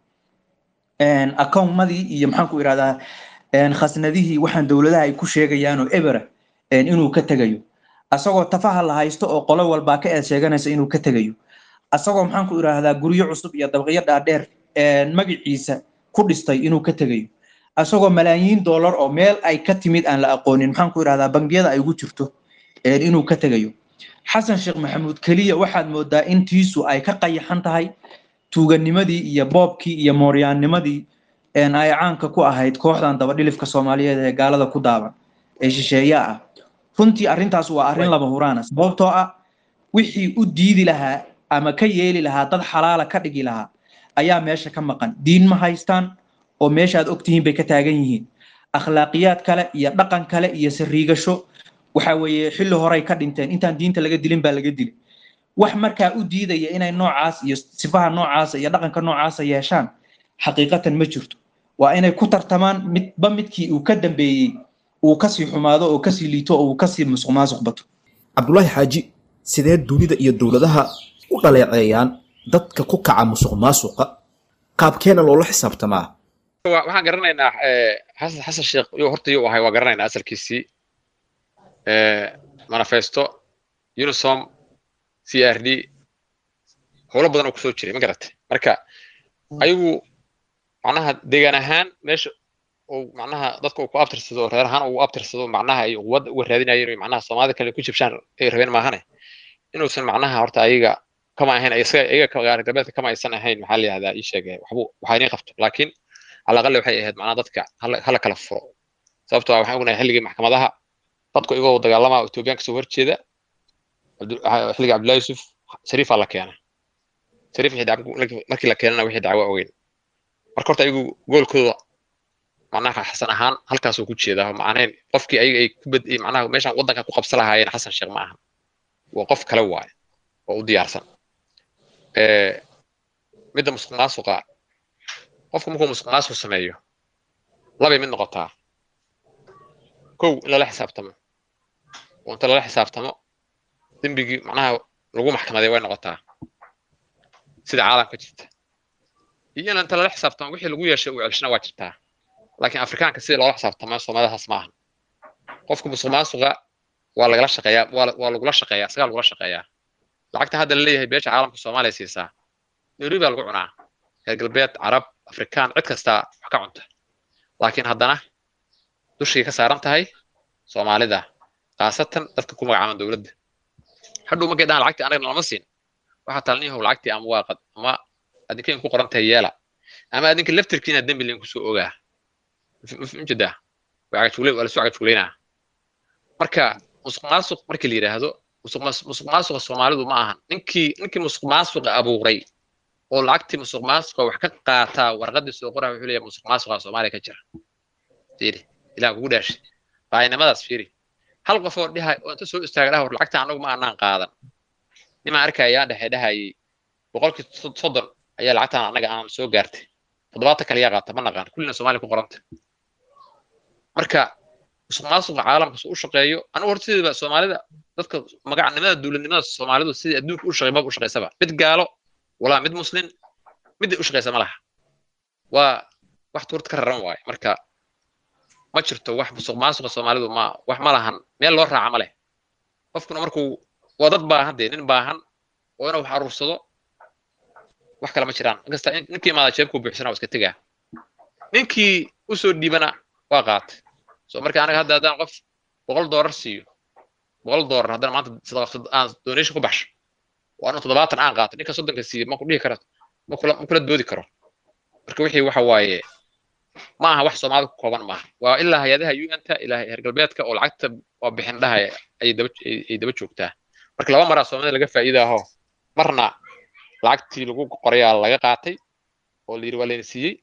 akoomadii iyo, maxaan ku idhahdaa, khasnadihii waxaan dowladaha ay ku sheegayaan oo ebera inuu ka tegayo, asagoo tafaha la haysto oo qolo walbaa ka eed sheeganaysa inuu ka tegayo, asagoo, maxaan ku idhaahdaa, guryo cusub iyo dabaqyo dhaadheer magaciisa ku dhistay inuu ka tegayo, asagoo malaayiin dollar oo meel ay ka timid aan la aqoonin, maxaan ku idhahdaa, bangiyada ay ugu jirto inuu ka tegayo. Xasan Sheekh Maxamuud keliya waxaad moodaa in tiisu ay ka qayaxan tahay tuuganimadii iyo boobkii iyo mooryaannimadii ay caanka ku ahayd kooxdan dabadhilifka Soomaaliyeed ee gaalada ku daaban ee shisheeya ah. Runtii arrintaas waa arrin lama huraana, sababtoo ah wixii u diidi lahaa ama ka yeeli lahaa dad xalaala ka dhigi lahaa ayaa meesha ka maqan. Diin ma haystaan oo meesha aad ogtihiin bay ka taagan yihiin. Akhlaaqiyaad kale iyo dhaqan kale iyo sariigasho waxa weeye xilli horey ka dhinteen, intaan diinta laga dilin baa laga dilay. Wax markaa u diidaya inay noocaas iyo sifaha noocaasa iyo dhaqanka noocaasa yeeshaan xaqiiqatan ma jirto. Waa inay ku tartamaan midba midkii uu ka dambeeyey uu kasii xumaado oo kasii liito oo uu kasii musuq maasuq bato. Cabdulaahi Xaaji, sidee dunida iyo dowladaha u dhaleeceeyaan dadka ku kaca musuq maasuqa? Qaabkeena loola xisaabtamaa? Waxaan garanaynaa Xasan Xasan Sheekh yuu horta yuu ahay, waa garanaynaa asalkiisii, manifesto, UNISOM, C R D, howlo badan oo kusoo jiray, ma garatay? Marka ayagu macnaha deegaan ahaan meesha uu macnaha dadka uu ku abtirsado, reer ahaan uu abtirsado, macnaha ay quwadda uga raadinayeen oo macnaha Soomaalida kale ku jibshaan ay rabeen maahane, inuusan macnaha horta ayaga kama ahayn, isaga iyaga reer galbeedka kama aysan ahayn. Maxaa la yihahdaa, ii sheegay waxbu waxaa inay qabto, laakiin cala aqali waxay ahayd macnaha dadka hala hala kala furo, sababtoo ah waxaan ognahay xilligii maxkamadaha dadku iyagoo dagaalama Ethioobiyaan kasoo horjeeda xilligii Cabdullahi Yusuf Shariifaa la keena. Shariif wixii dacwo markii la keenana wixii dacwo ogeyn. Marka horta ayagu goolkooda macnaha Xasan ahaan halkaasuu ku jeedaa, macnaheyn qofkii ayaga ay ku bad macnaha meeshaan waddanka ku qabsan lahaayeen Xasan Sheekh ma aha, waa qof kale waaye oo u diyaarsan. Midda musuq maasuqa, qofku markuu musuq maasuq sameeyo labay mid noqotaa: kow, in lala xisaabtamo oo inta lala xisaabtamo dembigii macnaha lagu maxkamaday way noqotaa sida caalamka jirta, iyo in inta lala xisaabtamo wixii lagu yeeshay uu celshana waa jirtaa. Laakiin Afrikaanka sida loola xisaabtamo Soomaalidaas ma ahan. Qofka musuq maasuqa Waa lagala shaqeeyaa, waa waa lagula shaqeeyaa, isagaa lagula shaqeeyaa. Lacagta hadda la leeyahay beesha caalamka Soomaaliya siisaa, Nairobi baa lagu cunaa, reer galbeed, Carab, Afrikaan, cid kastaa wax ka cunta, laakiin haddana dushay ka saaran tahay Soomaalida, khaasatan dadka ku magacaaban dowladda. Hadhow markay dhahaan lacagtii anaga nalama siin, waxaa talniyahow lacagtii ama waa qad ama adinka in ku qoran tahay yeela, ama adinka laftirkiina dembi lain kusoo ogaa. Ujeedaa waa cagajugleyn, waa lasoo cagajugleynaa. Marka musuq maasuq markii la yidhaahdo, musuq musuq maasuqa Soomaalidu ma ahan ninkii ninkii musuq maasuqa abuuray oo lacagtii musuq maasuqa wax ka qaataa warqadii soo qoraa wuxuu leeyahay musuq maasuqa Soomaaliya ka jira. Fiiri, ilaah kugu dhaashay raaynimadaas. Fiiri, hal qof oo dhihay oo inta soo istaaga dhaha war lacagta anagu ma aanaan qaadan. Nimaan arkaya dhexe dhahayay boqolkii soddon ayaa lacagtaan anaga aan soo gaartay, toddobaatan kale yaa qaata ma naqaan, kullina Soomaaliya ku qoranta. Marka musuq maasuqa caalamka soo u shaqeeyo, anigu horta sidiiba Soomaalida dadka magacnimada dowladnimada Soomaalidu sidii adduunka u shaqeey maba u shaqeysaba, mid gaalo walaa mid muslin mid u shaqeysa ma laha, waa wax tuurta ka raran waaye. Marka ma jirto wax musuq maasuqa Soomaalidu ma wax ma lahan, meel loo raaca ma leh. Qofkuna markuu waa dad baahan dee, nin baahan oo inuu wax aruursado wax kale ma jiraan. Inkasta ninkii imaada jeebkuu buuxsanaa waa iska tegaa, ninkii usoo dhiibana waa qaatay. So marka anaga hadda haddaan qof boqol doolar siiyo, boqol doolar haddana maanta sadaqa aan donation ku baxsho oo anu toddobaatan aan qaato, ninka soddonka siiyo ma ku dhihi karo, ma kula ma kula doodi karo. Marka wixii waxa waaye ma aha wax Soomaalida ku kooban maaha, waa ilaa hay-adaha U N-ta, ilaa heer galbeedka oo lacagta waa bixin dhahaya ay daba ay daba joogtaa. Marka laba maraa Soomaalida laga faa'iidaaho: marna lacagtii lagu qorayaa laga qaatay oo la yidhi waa layna siiyey,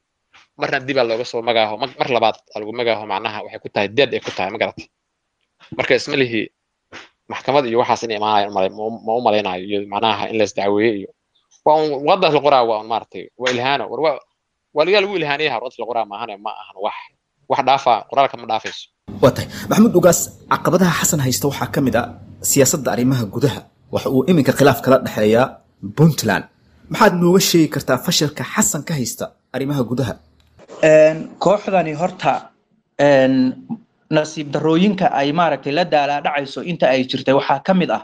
marna dibaa looga soo magaaho, mar labaad aa lagu magaaho, macnaha waxay ku tahay dead ay ku tahay, ma garatay? Marka isma lihi maxkamad iyo waxaas inay imaanayaan malay, ma u malaynayo, iyo macnaha in la isdacweeye iyo waa un warqadaas la qoraa, waa un maaragtay waa ilhaano, war waa waa lagaa lagu ilhaaniyaha warqadaas la qoraa maahane, ma ahan wax wax dhaafa, qoraalka ma dhaafayso. Waa tahay Maxamuud Ugaas. Caqabadaha Xasan haysta waxaa ka mid a siyaasadda arrimaha gudaha, waxa uu iminka khilaaf kala dhexeeyaa Puntland. Maxaad nooga sheegi kartaa fashilka Xasan ka haysta arrimaha gudaha? Kooxdani horta nasiib darrooyinka ay maaragtay la daalaa dhacayso inta ay jirtay waxaa ka mid ah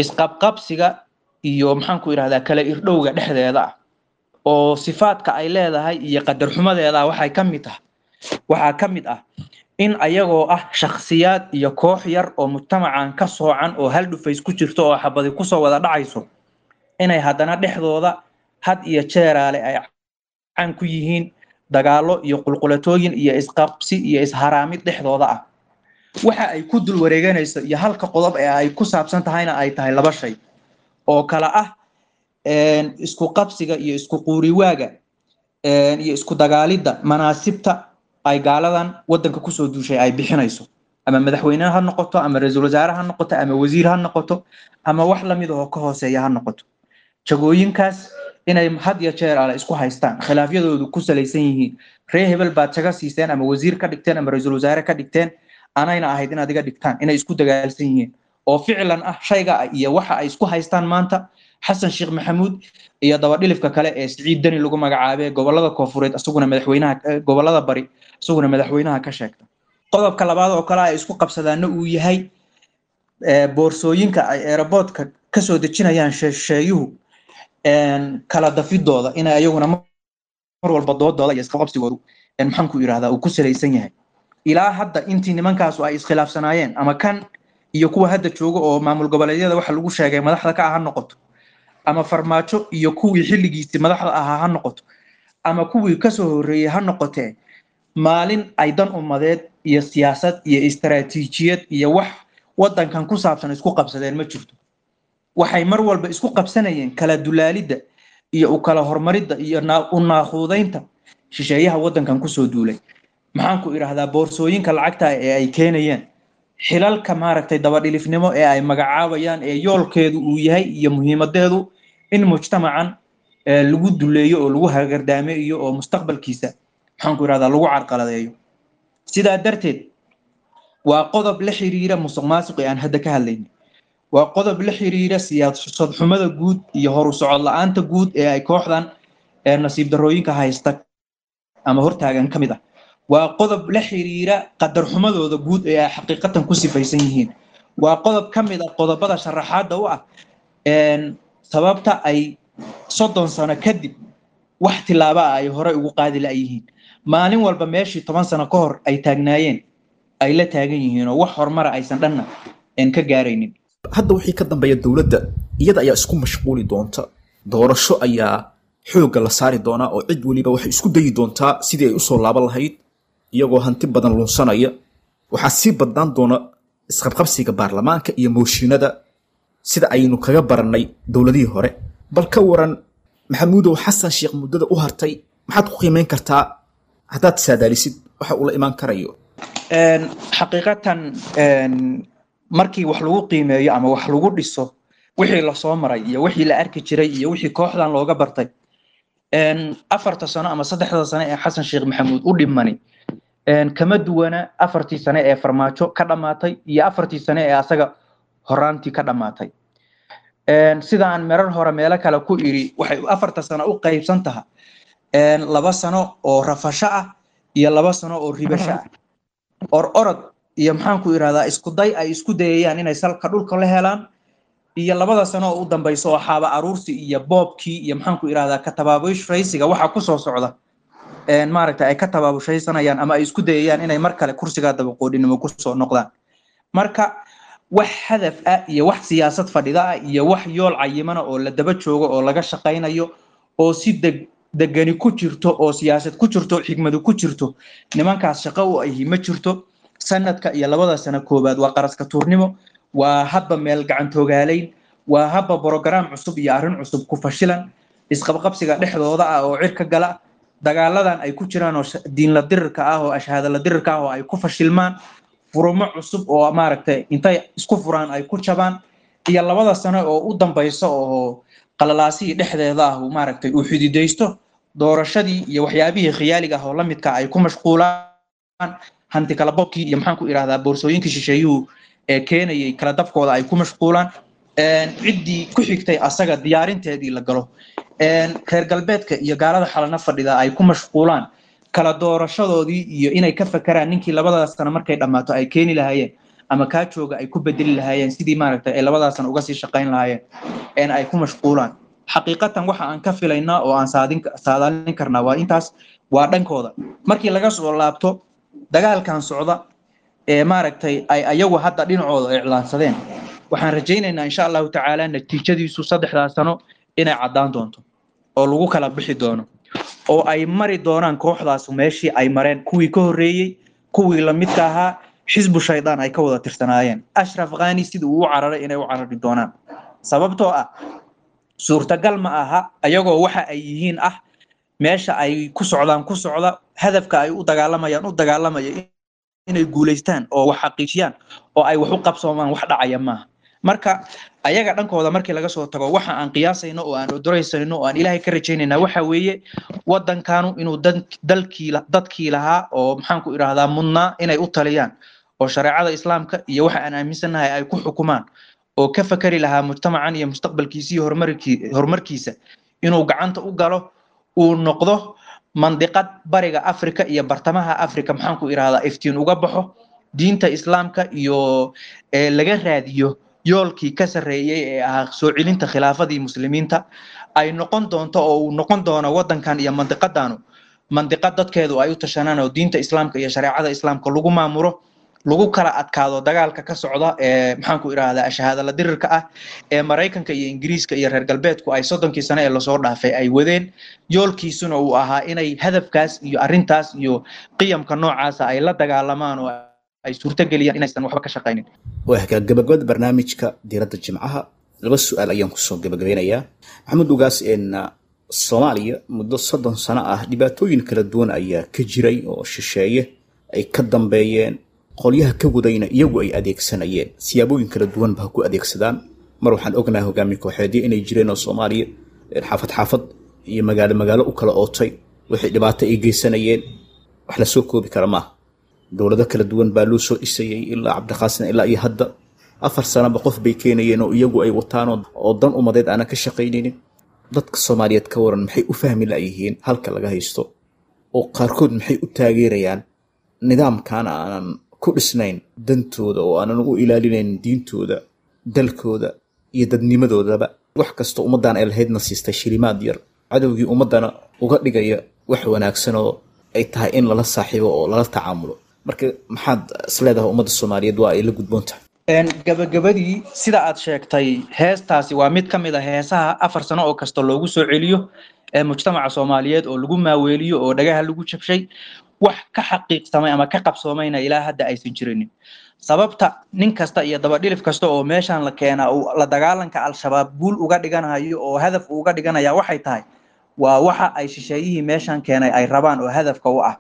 isqabqabsiga iyo maxaan ku idhahdaa kala irdhowga dhexdeeda ah, oo sifaadka ay leedahay iyo qadar xumadeeda waxay ka mid tahay, waxaa ka mid ah in ayagoo ah shakhsiyaad iyo koox yar oo mujtamacan ka soocan oo hal dhufays ku jirto oo xabadi kusoo wada dhacayso, inay haddana dhexdooda had iyo jeeraale ay caan ku yihiin dagaallo iyo qulqulatooyin iyo isqabsi iyo isharaamid dhexdooda ah. Waxa ay ku dul wareeganayso iyo halka qodob ee ay ku saabsan tahayna ay tahay laba shay oo kala ah isku qabsiga iyo isku quuriwaaga iyo isku dagaalidda manaasibta ay gaaladan waddanka kusoo duushay ay bixinayso, ama madaxweyne ha noqoto, ama ra-iisul wasaare ha noqoto, ama wasiir ha noqoto, ama wax lamid oo ka hooseeya ha noqoto. Jagooyinkaas inay had iyo jeer ale isku haystaan, khilaafyadoodu ku salaysan yihiin ree hebel baad jago siiseen ama wasiir ka dhigteen ama ra-iisul wasaare ka dhigteen, anayna ahayd inaad iga dhigtaan, inay isku dagaalsan yihiin oo ficlan ah shayga iyo waxa ay isku haystaan maanta Xasan Sheekh Maxamuud iyo dabadhilifka kale ee Siciid Deni lagu magacaabay gobolada koonfureed, isaguna madaxweynaha gobolada bari, isaguna madaxweynaha ka sheegta. Qodobka labaad oo kale ay isku qabsadaana uu yahay boorsooyinka ay airportka kasoo dejinayaan shisheeyuhu kala dafidooda, inay ayaguna mar walba doodooda iyo isqabqabsigoodu maxaan ku yidhahdaa uu ku salaysan yahay. Ilaa hadda intii nimankaasu ay iskhilaafsanaayeen, ama kan iyo kuwa hadda jooga oo maamul goboleedyada waxa lagu sheegay madaxda ka ah ha noqoto, ama Farmaajo iyo kuwii xilligiisii madaxda ahaa ha noqoto, ama kuwii kasoo horreeyey ha noqotee, maalin ay dan ummadeed iyo siyaasad iyo istaraatiijiyad iyo wax waddankan ku saabsan isku qabsadeen ma jirto. Waxay mar walba isku qabsanayeen kala dulaalidda iyo u kala horumaridda iyo u naaquudaynta shisheeyaha waddankan kusoo duulay, maxaan ku idhaahdaa boorsooyinka lacagta ee ay keenayeen, xilalka maaragtay dabadhilifnimo ee ay magacaabayaan ee yoolkeedu uu yahay iyo muhiimadeedu in mujtamacan lagu duleeyo oo lagu hagardaame iyo oo mustaqbalkiisa maxaan ku idhahdaa lagu carqaladeeyo. Sidaa darteed waa qodob la xiriira musuq maasuq ee aan hadda ka hadlaynay, waa qodob la xiriira siyaasad xumada guud iyo horu socod la-aanta guud ee ay kooxdan nasiib darrooyinka haysta ama hortaagan ka mid ah, waa qodob la xiriira qadar xumadooda guud ee ay xaqiiqatan ku sifaysan yihiin. Waa qodob ka mid ah qodobada sharaxaadda u ah een, sababta ay soddon sano kadib wax tilaaba ah ay hore ugu qaadi la'yihiin. Maalin walba meeshii toban sano ka hor ay taagnaayeen ay la taagan yihiin oo wax horumara aysan dhanna een ka gaaraynin. Hadda wixii ka dambeeya dowladda iyada ayaa isku mashquuli doonta, doorasho ayaa xoogga la saari doonaa oo cid weliba waxay isku dayi doontaa sidii ay usoo laaban lahayd iyagoo hanti badan lunsanaya. Waxaa sii badnaan doona isqabqabsiga baarlamaanka iyo mooshinada sida aynu kaga barannay dowladihii hore. Bal ka waran Maxamuudow, Xasan Sheekh muddada u hartay maxaad ku qiimeyn kartaa haddaad saadaalisid waxa uu la imaan karayo? Een, xaqiiqatan een, markii wax lagu qiimeeyo ama wax lagu dhiso wixii lasoo maray iyo wixii la arki jiray iyo wixii kooxdan looga bartay, een, afarta sano ama saddexda sano ee Xasan Sheekh Maxamuud u dhimani een, kama duwana afartii sano ee Farmaajo ka dhammaatay iyo afartii sano ee asaga horaantii ka dhammaatay. Een, sida aan merar hore meelo kale ku iri, waxay afarta sano u qaybsan tahay een, laba sano oo rafasho ah iyo laba sano oo ribasho ah, or orod iyo maxaan ku irahdaa isku day ay isku dayayaan inay salka dhulka la helaan, iyo labada sano oo u dambayso oo xaaba aruursi iyo boobkii iyo maxaan ku irahdaa ka tabaabushaysiga waxa ku soo socda een maaragtay ay ka tabaabushaysanayaan ama ay isku dayayaan inay mar kale kursigaa dabaqoodhinimo ku soo noqdaan. Marka wax hadaf ah iyo wax siyaasad fadhida ah iyo wax yool cayimana oo la daba joogo oo laga shaqaynayo oo si deg degani ku jirto oo siyaasad ku jirto, xigmadu ku jirto, nimankaas shaqo u ahi ma jirto. Sanadka iyo labada sano koowaad waa qaraska tuurnimo, waa hadba meel gacantoogaalayn, waa hadba borograam cusub iyo arrin cusub ku fashilan, isqabqabsiga dhexdooda ah oo cirka gala, dagaaladan ay ku jiraan oo diinla dirirka ah oo ashhaadala dirirka ah oo ay ku fashilmaan, furumo cusub oo maaragtay intay isku furaan ay ku jabaan, iyo labada sano oo u dambaysa oo qalalaasihii dhexdeeda ah uu maaragtay uu xididaysto, doorashadii iyo waxyaabihii khiyaaliga ah oo la midka ay ku mashquulaan, hanti kala bobkii iyo maxaan ku idhahdaa boorsooyinkii shisheeyuhu ee keenayay kala dabkooda ay ku mashquulaan, ciddii ku xigtay asaga diyaarinteedii la galo, reer galbeedka iyo gaalada xalana fadhida ay ku mashquulaan kala doorashadoodii iyo inay ka fakaraan ninkii labadaas sano markay dhammaato ay keeni lahaayeen ama kaa jooga ay ku bedeli lahaayeen, sidii maaragtay ay labadaas sano uga sii shaqayn lahaayeen een ay ku mashquulaan. Xaqiiqatan waxa aan ka filaynaa oo aan saadin saadaalin karnaa waa intaas, waa dhankooda. Markii laga soo laabto dagaalkan socda ee maaragtay ay ayagu hadda dhinacooda iclaansadeen, waxaan rajaynaynaa insha Allahu tacaala natiijadiisu saddexdaa sano inay caddaan doonto oo lagu kala bixi doono oo ay mari doonaan kooxdaas meeshii ay mareen kuwii ka horreeyey, kuwii la midka ahaa, xisbu shaydaan ay ka wada tirsanaayeen, Ashraf Ghani sidii uu u cararay inay u carari doonaan. Sababtoo ah suurtagal ma aha ayagoo waxa ay yihiin ah meesha ay ku socdaan ku socda, hadafka ay u dagaalamayaan u dagaalamaya inay guulaystaan oo wax xaqiijiyaan oo ay wax u qabsoomaan, wax dhacaya maaha. Marka ayaga dhankooda markii laga soo tago, waxa aan qiyaasayno oo aan odoraysayno oo aan Ilaahay ka rajaynayna waxa weeye waddankanu inuu dalkii dadkii lahaa oo maxaan ku idhaahdaa mudnaa inay u taliyaan oo shareecada islaamka iyo waxa aan aaminsannahay ay ku xukumaan oo ka fakari lahaa mujtamacan iyo mustaqbalkiisa iyo horumarkii horumarkiisa inuu gacanta u galo, uu noqdo mandiqad bariga Afrika iyo bartamaha Afrika maxaan ku idhaahdaa iftiin uga baxo, diinta islaamka iyo laga raadiyo yoolkii ka sarreeyay ee ahaa soo celinta khilaafadii muslimiinta ay noqon doonto oo uu noqon doono waddankan iyo mandiqadanu mandiqad dadkeedu ay u tashanaan oo diinta islaamka iyo shareecada islaamka lagu maamulo, lagu kala adkaado dagaalka ka socda ee maxaan ku idhaahdaa shahaada la dirirka ah ee Maraykanka iyo Ingiriiska iyo reer galbeedku ay soddonkii sano ee lasoo dhaafay ay wadeen. Yoolkiisuna uu ahaa inay hadafkaas iyo arrintaas iyo qiyamka noocaasa ay la dagaalamaan oo ay suurtageliyaan inaysan waxba ka shaqaynin. Waa gabagabada barnaamijka diiradda Jimcaha, laba su-aal ayaan kusoo gabagabeynayaa. Maxamed Ugaas, een Soomaaliya muddo soddon sano ah dhibaatooyin kala duwan ayaa ka jiray oo shisheeye ay ka dambeeyeen, qolyaha ka wadayna iyagu ay adeegsanayeen siyaabooyin kala duwan ba ha ku adeegsadaan. Mar waxaan ognahay hogaamiye kooxeedyo inay jireen oo Soomaaliya xaafad xaafad iyo magaalo magaalo u kala ootay, wixii dhibaato ay geysanayeen wax la soo koobi kara maaha. Dowlado kala duwan baa loo soo dhisayay ilaa Cabdiqaasin ilaa iyo hadda afar sanaba qof bay keenayeen oo iyagu ay wataan oo dan umadeed aanan ka shaqaynaynin. Dadka Soomaaliyeed ka waran maxay u fahmi la'yihiin halka laga haysto oo qaarkood maxay u taageerayaan nidaamkan aanan ku dhisnayn dantooda oo aanan u ilaalinayn diintooda, dalkooda iyo dadnimadoodaba, wax kasta ummaddan ay lahaydna siistay shilimaad yar, cadowgii ummaddana uga dhigaya wax wanaagsan oo ay tahay in lala saaxiibo oo lala tacaamulo. Marka maxaad isleedahay ummadda Soomaaliyeed waa ay la gudboon tahay? Gabagabadii, sida aad sheegtay, heestaasi waa mid ka mid a heesaha afar sano oo kasta loogu soo celiyo ee mujtamaca Soomaaliyeed oo lagu maaweeliyo oo dhagaha lagu jabshay, wax ka xaqiiqsamay ama ka qabsoomayna ilaa hadda aysan jirinin. Sababta nin kasta iyo dabadhilif kasta oo meeshan la keenaa uu la dagaalanka Al-Shabaab guul uga dhiganayo oo hadaf uga dhiganaya waxay tahay waa waxa ay shisheeyihii meeshan keenay ay rabaan oo hadafka u ah.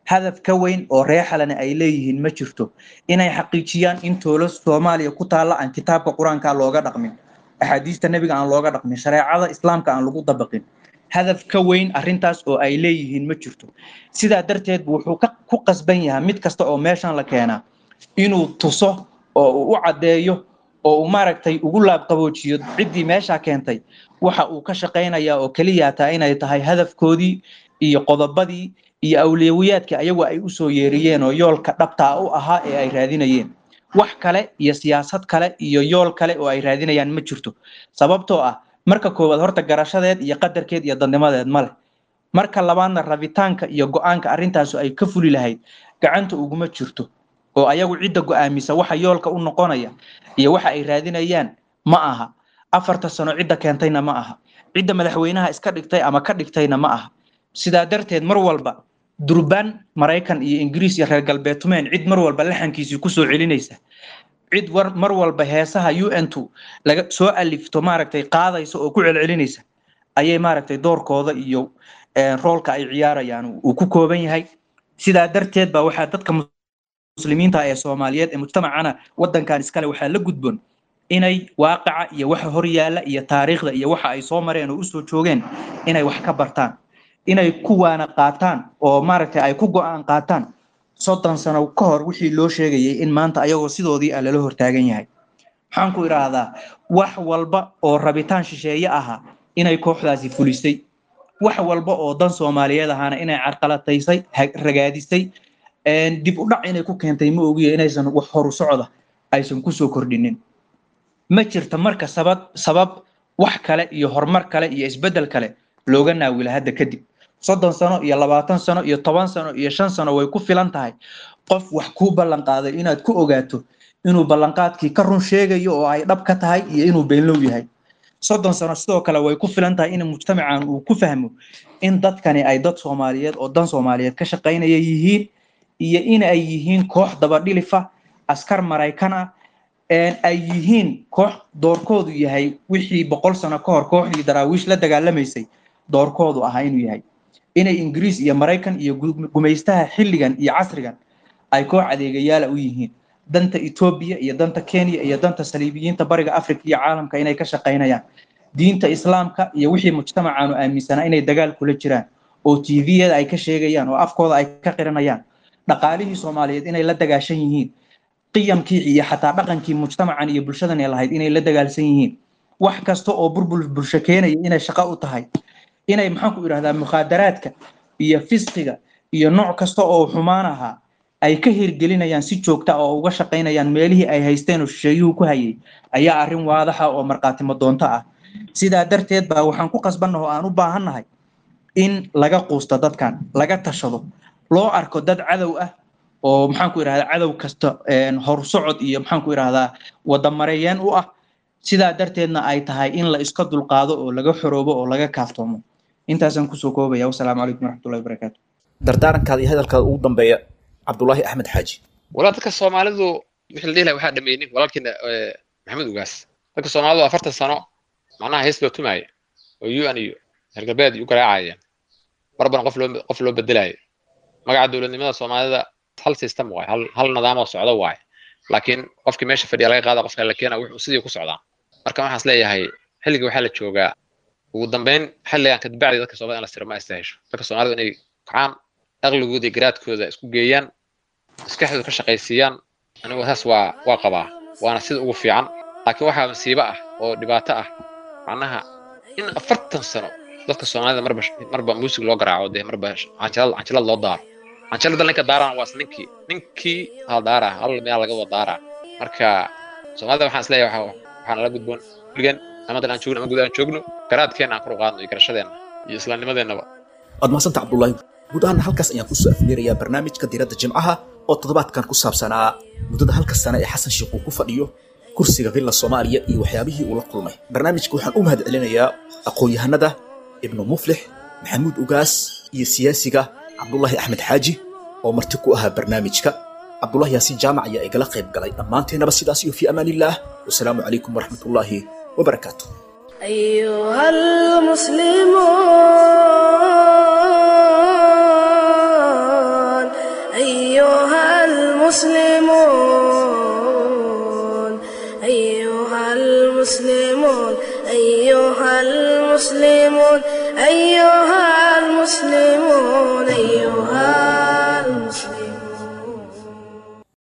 Hadaf ka weyn oo reexalana ay leeyihiin ma jirto, inay xaqiijiyaan in toolo Soomaaliya ku taalla aan kitaabka Qur-aanka looga dhaqmin, axaadiista nebiga aan looga dhaqmin, shareecada Islaamka aan lagu dabaqin. Hadaf ka weyn arrintaas oo ay leeyihiin ma jirto. Sidaa darteed wuxuu ku qasban yahay mid kasta oo meeshan la keenaa inuu tuso oo uu u caddeeyo oo uu maaragtay ugu laabqaboojiyo ciddii meesha keentay waxa uu ka shaqaynayaa oo keliya taa inay tahay hadafkoodii iyo qodobadii iyo awliyawiyaadkii ayagu ay usoo yeeriyeen oo yoolka dhabtaa u ahaa ee ay raadinayeen. Wax kale iyo siyaasad kale iyo yool kale oo ay raadinayaan ma jirto. Sababtoo ah marka koowaad horta garashadeed iyo qadarkeed iyo dadnimadeed ma leh. Marka labaadna rabitaanka iyo go-aanka arrintaasu ay ka fuli lahayd gacanta uguma jirto, oo ayagu cidda go-aamisa waxa yoolka u noqonaya iyo waxa ay raadinayaan ma aha. Afarta sano cidda keentayna ma aha, cidda madaxweynaha iska dhigtay ama ka dhigtayna ma aha. Sidaa darteed mar walba durbaan Maraykan iyo Ingiriis iyo reer galbeedtumeen cid mar walba laxankiisii kusoo celinaysa, cid war mar walba heesaha U N two laga soo alifto maaragtay qaadaysa oo ku celcelinaysa ayay maaragtay doorkooda iyo roolka ay ciyaarayaan uu ku kooban yahay. Sidaa darteed baa waxaa dadka muslimiinta ee Soomaaliyeed ee mujtamacana waddankan iskale waxaa la gudboon inay waaqaca iyo waxa hor yaalla iyo taariikhda iyo waxa ay soo mareen oo usoo joogeen inay wax ka bartaan, inay kuwaana qaataan oo maaragtay ay ku go'aan qaataan soddon sano ka hor wixii loo sheegayay in maanta ayagoo sidoodii ah lala hortaagan yahay. Maxaan ku idhaahdaa, wax walba oo rabitaan shisheeye ahaa inay kooxdaasi fulisay, wax walba oo dan Soomaaliyeed ahaana inay carqalataysay, ragaadisay, dib u dhac inay ku keentay ma ogiya inaysan wax horu socda aysan kusoo kordhinin. Ma jirta marka sabab sabab wax kale iyo horumar kale iyo isbeddel kale looga naawila hadda kadib. Soddon sano iyo labaatan sano iyo toban sano iyo shan sano way ku filan tahay qof wax kuu ballan qaaday inaad ku ogaato inuu ballanqaadkii ka run sheegayo oo ay dhab ka tahay iyo inuu beenlow yahay. Soddon sano sidoo kale way ku filan tahay in mujtamacan uu ku fahmo in dadkani ay dad Soomaaliyeed oo dan Soomaaliyeed ka shaqaynaya yihiin iyo in ay yihiin koox dabadhilifa askar Maraykan ah, ay yihiin koox doorkoodu yahay wixii boqol sano ka hor kooxdii Daraawiish la dagaalamaysay doorkoodu ahaa inuu yahay, inay Ingiriis iyo Maraykan iyo gumaystaha xilligan iyo casrigan ay koox adeegayaala u yihiin, danta Etoobiya iyo danta Kenya iyo danta saliibiyiinta bariga Afrika iyo caalamka inay ka shaqaynayaan, diinta Islaamka iyo wixii mujtamacaanu aaminsanaa inay dagaal kula jiraan oo T V-yada ay ka sheegayaan oo afkooda ay ka qiranayaan, dhaqaalihii Soomaaliyeed inay la dagaashan yihiin, qiyamkii iyo xataa dhaqankii mujtamacan iyo bulshadan ay lahayd inay la dagaalsan yihiin, wax kasta oo burbur bulsho keenaya inay shaqo u tahay, inay maxaan ku idhahdaa mukhaadaraadka iyo fisqiga iyo nooc kasta oo xumaan ahaa ay ka hirgelinayaan si joogta ah oo uga shaqaynayaan meelihii ay haysteen oo shisheeyuhu ku hayay ayaa arrin waadaxa oo markhaatimo doonto ah. Sidaa darteed baa waxaan ku qasbannahay oo aan u baahannahay in laga quusto dadkan, laga tashado, loo arko dad cadow ah oo maxaan ku idhahdaa cadow kasta horsocod iyo maxaan ku idhahdaa wadamareeyeen u ah. Sidaa darteedna ay tahay in la iska dulqaado oo laga xoroobo oo laga kaaftoomo. Intaasaan kusoo koobaya. Wasalaamu calaykum waraxmatullahi wabarakaatu. Dardaarankaada iyo hadalkaada ugu dambeeya, Cabdulaahi Axmed Xaaji. Walaa dadka Soomaalidu wixii la dhihi lahaa waxaa dhameeyey walaalkiina Maxamed Ugaas. Dadka Soomaalidu afartan sano macnaha hees loo tumaayay oo U N iyo reer galbeed u garaacayeen, marban qof loo qof loo bedelayo magaca dowladnimada Soomaalida. Hal system waay, hal hal nidaam oo socda waay, laakiin qofkii meesha fadhiya laga qaada, qofka la keena, wuxuu sidii ku socdaa. Marka waxaan is leeyahay xilliga waxaa la joogaa ugu dambeyn xilligan kadbacdi dadka Soomaalida in la siro ma istaahisho. Dadka Soomaalida inay kacaan, aqligooda iyo garaadkooda isku geeyaan, maskaxdooda ka shaqaysiiyaan, anigu saas waa waa qabaa, waana sida ugu fiican. Laakiin waxaa masiibo ah oo dhibaato ah macnaha in afartan sano dadka Soomaalida marba marba muusig loo garaaco, dee marba canjilad canjilad loo daaro. Canjalada ninka daaraan waa is ninkii ninkii hal daaraa, hal meel laga wada daaraa. Marka Soomaalida waxaan isleeyahay waxa waxaan nala gudboon kuligan, ama dal aan joogno ama guud aan joogno, garaadkeena aan kor u qaadno iyo garashadeena iyo islaamnimadeennaba. Waad mahadsanta, Cabdullaahi. Guud ahaan halkaas ayaan kusoo afmeerayaa barnaamijka Diiradda Jimcaha oo toddobaadkan ku saabsanaa muddada halka sane ee Xasan Sheikh uu ku fadhiyo kursiga Villa Soomaaliya iyo waxyaabihii uu la kulmay. Barnaamijka waxaan u mahad celinayaa aqoon-yahanada Ibnu Muflix, Maxamuud Ugaas iyo siyaasiga Cabdulaahi Axmed Xaaji oo marti ku ahaa barnaamijka. Cabdulahi Yaasiin Jaamac ayaa igala qayb galay. Dhammaanteennaba sidaas iyo fii amaanillaah, wasalaamu calaykum waraxmatullaahi wabarakaatu. أيها المسلمون، أيها المسلمون، أيها المسلمون، أيها المسلمون، أيها المسلمون، أيها